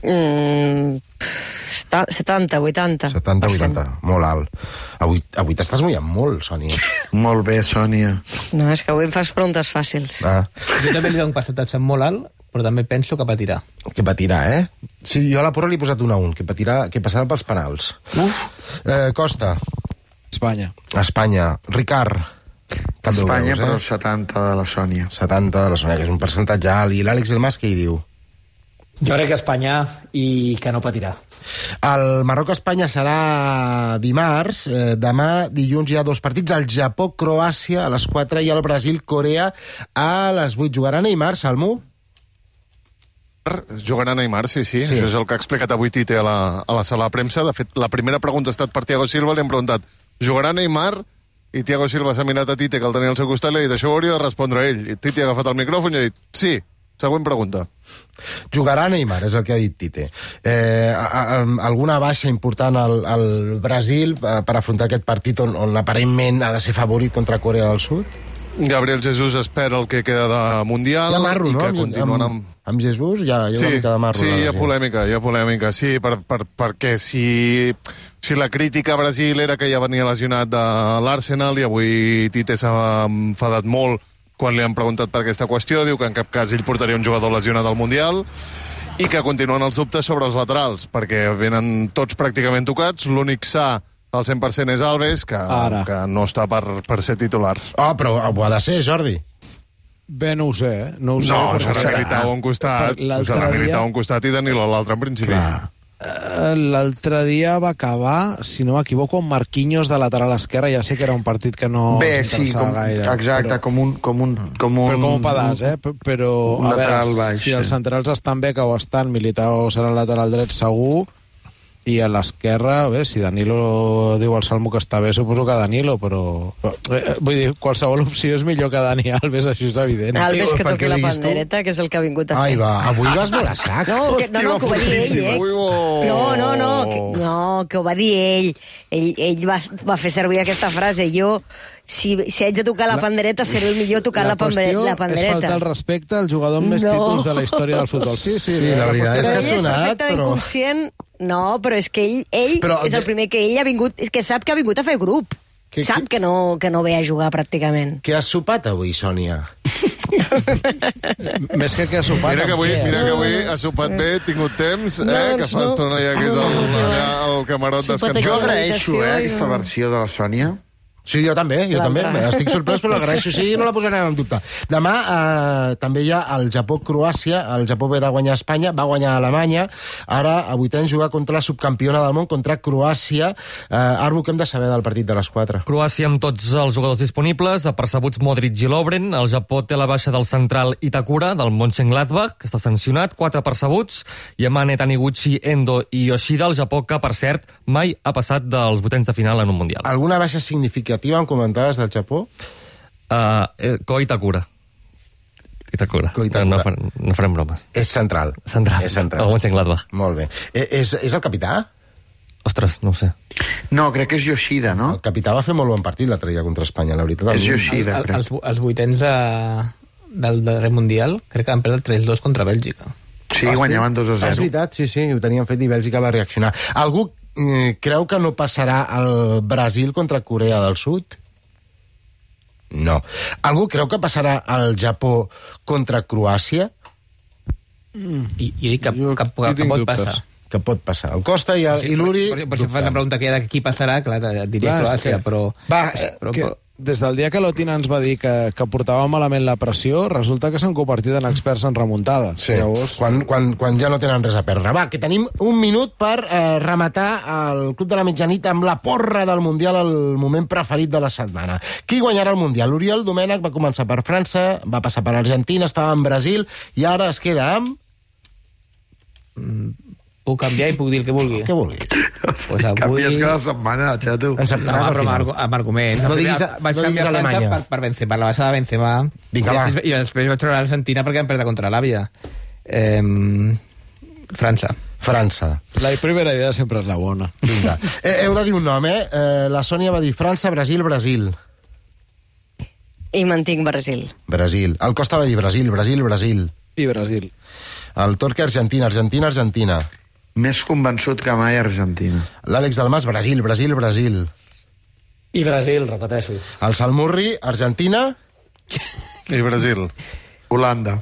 Speaker 5: Mm, setanta, vuitanta.
Speaker 2: setanta, vuitanta, molt alt. Avui, avui t'estàs mullant molt, Sònia.
Speaker 7: Molt bé, Sònia.
Speaker 5: No, és que avui em fas preguntes fàcils.
Speaker 2: Ah.
Speaker 6: Jo també li dono un percentatge molt alt, però també penso que patirà.
Speaker 2: Que patirà, eh? Sí, jo a la porra li he posat un a un, que, patirà, que passarà pels penals. Uf. Eh, Costa.
Speaker 8: Espanya.
Speaker 2: Espanya. Ricard. També
Speaker 7: Espanya,
Speaker 2: veus, eh?
Speaker 7: però setanta de la Sònia.
Speaker 2: setanta de la Sònia, que és un percentatge alt. I l'Àlex Delmas què hi diu?
Speaker 16: Jo crec que Espanya i que no patirà.
Speaker 2: El Marroc-Espanya serà dimarts. Eh, demà, dilluns, hi ha dos partits. El Japó-Croàcia a les quatre i el Brasil-Corea a les vuit. Jugarà Neymar, Salmo?
Speaker 4: Jugarà Neymar, sí, sí, sí. Això és el que ha explicat avui Tite a la, a la sala de premsa. De fet, la primera pregunta ha estat per Thiago Silva. Li hem preguntat, jugarà Neymar? I Thiago Silva s'ha mirat a Tite, que el tenia al seu costat, i li ha dit, això ho hauria de respondre ell. I Tite ha agafat el micròfon i ha dit, sí. Següent pregunta.
Speaker 2: Jugarà Neymar, és el que ha dit Tite. Eh, a, a, alguna baixa important al, al Brasil per afrontar aquest partit on, on aparentment ha de ser favorit contra Corea del Sud?
Speaker 4: Gabriel Jesús espera el que queda de Mundial.
Speaker 2: Hi ha marro,
Speaker 4: i
Speaker 2: no?
Speaker 4: Que
Speaker 2: Amb,
Speaker 4: continuen
Speaker 2: amb, amb Jesús hi ha, hi ha
Speaker 4: sí,
Speaker 2: una mica de marro.
Speaker 4: Sí, hi ha polèmica, hi ha polèmica, sí, per, per, perquè si, si la crítica a Brasil era que ja venia lesionat de l'Arsenal i avui Tite s'ha enfadat molt quan li han preguntat per aquesta qüestió, diu que en cap cas ell portaria un jugador lesionat al Mundial i que continuen els dubtes sobre els laterals, perquè venen tots pràcticament tocats, l'únic sa al cent per cent és Alves, que, que no està per, per ser titular.
Speaker 2: Oh, però ho ha de ser, Jordi.
Speaker 8: Bé, no ho sé, eh? No, ho sé,
Speaker 4: no
Speaker 8: però
Speaker 4: serà Militao a un costat, serà Militao a un costat i Danilo a l'altre, en principi.
Speaker 2: Clar.
Speaker 8: L'altre dia va acabar, si no m'equivoco, amb Marquinhos de lateral esquerra. Ja sé que era un partit que no
Speaker 7: Bé,
Speaker 8: ens
Speaker 7: sí,
Speaker 8: interessava
Speaker 7: com,
Speaker 8: gaire.
Speaker 7: exacte,
Speaker 8: però...
Speaker 7: com un... Com un, com un
Speaker 8: però com un pedaç, eh? Però,
Speaker 7: un
Speaker 8: a veure,
Speaker 7: lateral baix,
Speaker 8: si els
Speaker 7: sí.
Speaker 8: centrals estan bé, que ho estan, Militao serà el lateral dret segur, i a l'esquerra, bé, si Danilo diu al Salmo que està bé, suposo que Danilo, però... Eh, vull dir, qualsevol opció és millor que Dani Alves, això és evident.
Speaker 5: Alves que toqui la pandereta, que és el que ha vingut a fer.
Speaker 2: Ai, va, avui vas molt a sac.
Speaker 5: No, que, no, no, que ho va dir ell, eh? No, no, no, que, no, que ho va dir ell. Ell, ell va, va fer servir aquesta frase. Jo, si, si haig de tocar la pandereta, seré el millor tocant la, la, pandereta.
Speaker 8: La qüestió és faltar el respecte al jugador amb més no. títols de la història del futbol. Sí, sí,
Speaker 2: sí la, la veritat és que ha
Speaker 5: sonat,
Speaker 2: però...
Speaker 5: Ell és perfectament conscient... No, però és que ell, ell però, és el primer que ell ha vingut... És que sap que ha vingut a fer grup. Que, sap que, que, no, que no ve a jugar, pràcticament.
Speaker 2: Què has sopat avui, Sònia?
Speaker 8: Més que què has sopat...
Speaker 4: Mira que avui, mira que avui has sopat bé, he tingut temps, eh, no, que fa no. estona ja que és el, allà el camarot descansant.
Speaker 7: Jo agraeixo, eh, aquesta versió de la Sònia.
Speaker 2: Sí, jo també, jo també. Estic sorprès, però l'agraeixo. Sí, no la posarem en dubte. Demà eh, també hi ha el Japó-Croàcia. El Japó ve de guanyar a Espanya, va guanyar a Alemanya. Ara, a vuitens, jugar contra la subcampiona del món, contra Croàcia. Eh, Arbu, què hem de saber del partit de les quatre?
Speaker 9: Croàcia amb tots els jugadors disponibles, apercebuts Modric i Lovren. El Japó té la baixa del central Itakura, del Mönchengladbach, que està sancionat, quatre apercebuts. Yamane, Taniguchi, Endo i Yoshida. El Japó, que, per cert, mai ha passat dels vuitens de final en un Mundial.
Speaker 2: Alguna baixa significativa en comentaves del Japó?
Speaker 9: Uh, eh, Ko Itakura. Itakura.
Speaker 2: Ko Itakura.
Speaker 9: No, no, farem, no farem bromes.
Speaker 2: És central.
Speaker 9: Central.
Speaker 2: És central.
Speaker 9: El Mönchengladbach.
Speaker 2: Molt bé. Eh, és, és el capità?
Speaker 9: Ostres, no ho sé.
Speaker 7: No, crec que és Yoshida, no?
Speaker 2: El capità va fer molt bon partit l'altre dia contra Espanya, la veritat.
Speaker 7: És Yoshida,
Speaker 6: crec. Els, els vuitens de, del darrer Mundial crec que van perdre tres dos contra Bèlgica.
Speaker 7: Sí, ah, guanyaven dos a zero.
Speaker 2: És veritat, sí, sí, ho tenien fet i Bèlgica va reaccionar. Algú eh, creu que no passarà el Brasil contra Corea del Sud? No. Algú creu que passarà el Japó contra Croàcia?
Speaker 6: Mm. I, I que, jo, que, que, que pot passar.
Speaker 2: Que pot passar. El Costa i, el, sí, i l'Uri...
Speaker 6: Per, per, per si fas la pregunta que hi ha de qui passarà, clar, et diria clar, Croàcia, que, però...
Speaker 2: Va,
Speaker 6: però,
Speaker 8: que,
Speaker 6: però...
Speaker 8: Des del dia que l'Otina ens va dir que, que portava malament la pressió, resulta que s'han convertit en experts en remuntada.
Speaker 2: Sí, llavors... quan, quan, quan ja no tenen res a perdre. Va, que tenim un minut per eh, rematar el Club de la Mitjanit amb la porra del Mundial, el moment preferit de la setmana. Qui guanyarà el Mundial? Oriol Domènech va començar per França, va passar per Argentina, estava en Brasil, i ara es queda amb...
Speaker 6: Mm. Puc canviar i puc dir el que vulgui.
Speaker 2: Què vulgui?
Speaker 7: Pues avui... Canvies cada setmana, xato.
Speaker 2: Encertaràs
Speaker 6: no,
Speaker 2: al final.
Speaker 6: Amb, amb arguments.
Speaker 2: No diguis,
Speaker 6: vaig
Speaker 2: no diguis Alemanya.
Speaker 6: Per, per Benzema, per la baixa de Benzema.
Speaker 2: Vinga, va.
Speaker 6: I, I després vaig treure l'Argentina perquè vam perdre contra l'Àvia. Eh, França.
Speaker 2: França.
Speaker 8: La primera idea sempre és la bona.
Speaker 2: Vinga. Eh, heu de dir un nom, eh? eh? La Sònia va dir França, Brasil, Brasil.
Speaker 5: I mantinc Brasil.
Speaker 2: Brasil. El Costa va dir Brasil, Brasil, Brasil.
Speaker 8: I Brasil.
Speaker 2: El Torque, Argentina, Argentina, Argentina.
Speaker 7: Més convençut que mai Argentina.
Speaker 2: L'Àlex Dalmas, Brasil, Brasil, Brasil.
Speaker 16: I Brasil, repeteixo.
Speaker 2: El Salmurri, Argentina.
Speaker 4: I Brasil.
Speaker 7: Holanda.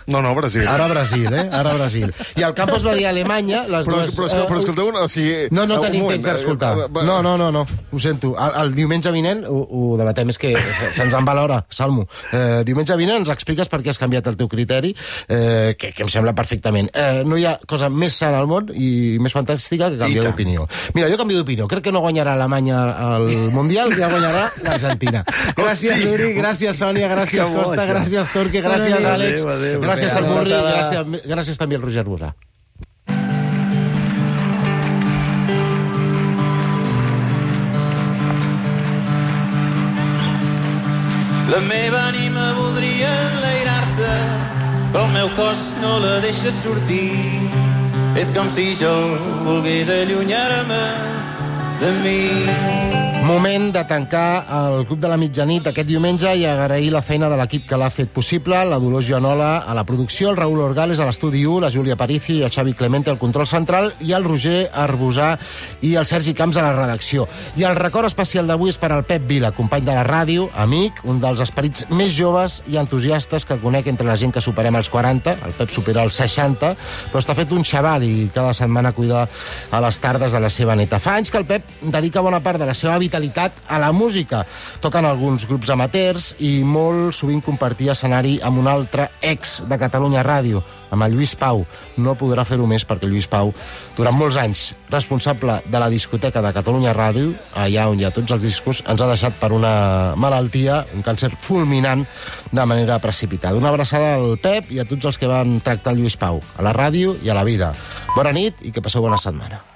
Speaker 4: No, no, Brasil.
Speaker 2: Ara Brasil, eh? Ara Brasil. I el Campos va dir Alemanya, les
Speaker 4: però,
Speaker 2: dues...
Speaker 4: Però, però, però escolteu, o sigui...
Speaker 2: No, no tenim temps d'escoltar. No, no, no, no, ho sento. El, el diumenge vinent ho, ho debatem, és que se'ns en va l'hora, Salmo. Eh, diumenge vinent ens expliques per què has canviat el teu criteri, eh, que, que em sembla perfectament. Eh, no hi ha cosa més sana al món i més fantàstica que canviar d'opinió. Mira, jo canvio d'opinió. Crec que no guanyarà Alemanya al Mundial, ja guanyarà l'Argentina. Gràcies, Uri, gràcies, Sònia, gràcies, Costa, gràcies, Torque, gràcies, Àlex.
Speaker 7: Adéu,
Speaker 2: gràcies al Murri, gràcies, gràcies també al Roger Bosà.
Speaker 1: La meva ànima voldria enlairar-se, però el meu cos no la deixa sortir. És com si jo volgués allunyar-me de mi.
Speaker 2: Moment de tancar el Club de la Mitjanit aquest diumenge i agrair la feina de l'equip que l'ha fet possible, la Dolors Joanola a la producció, el Raül Orgales a l'estudi u, la Júlia Parici i el Xavi Clemente al control central i el Roger Arbusà i el Sergi Camps a la redacció. I el record especial d'avui és per al Pep Vila, company de la ràdio, amic, un dels esperits més joves i entusiastes que conec entre la gent que superem els quaranta, el Pep supera els seixanta, però està fet un xaval i cada setmana cuida a les tardes de la seva neta. Fa anys que el Pep dedica bona part de la seva vitalitat dedicat a la música. Toquen alguns grups amateurs i molt sovint compartia escenari amb un altre ex de Catalunya Ràdio, amb el Lluís Pau. No podrà fer-ho més perquè Lluís Pau, durant molts anys responsable de la discoteca de Catalunya Ràdio, allà on hi ha tots els discos, ens ha deixat per una malaltia, un càncer fulminant, de manera precipitada. Una abraçada al Pep i a tots els que van tractar el Lluís Pau, a la ràdio i a la vida. Bona nit i que passeu bona setmana.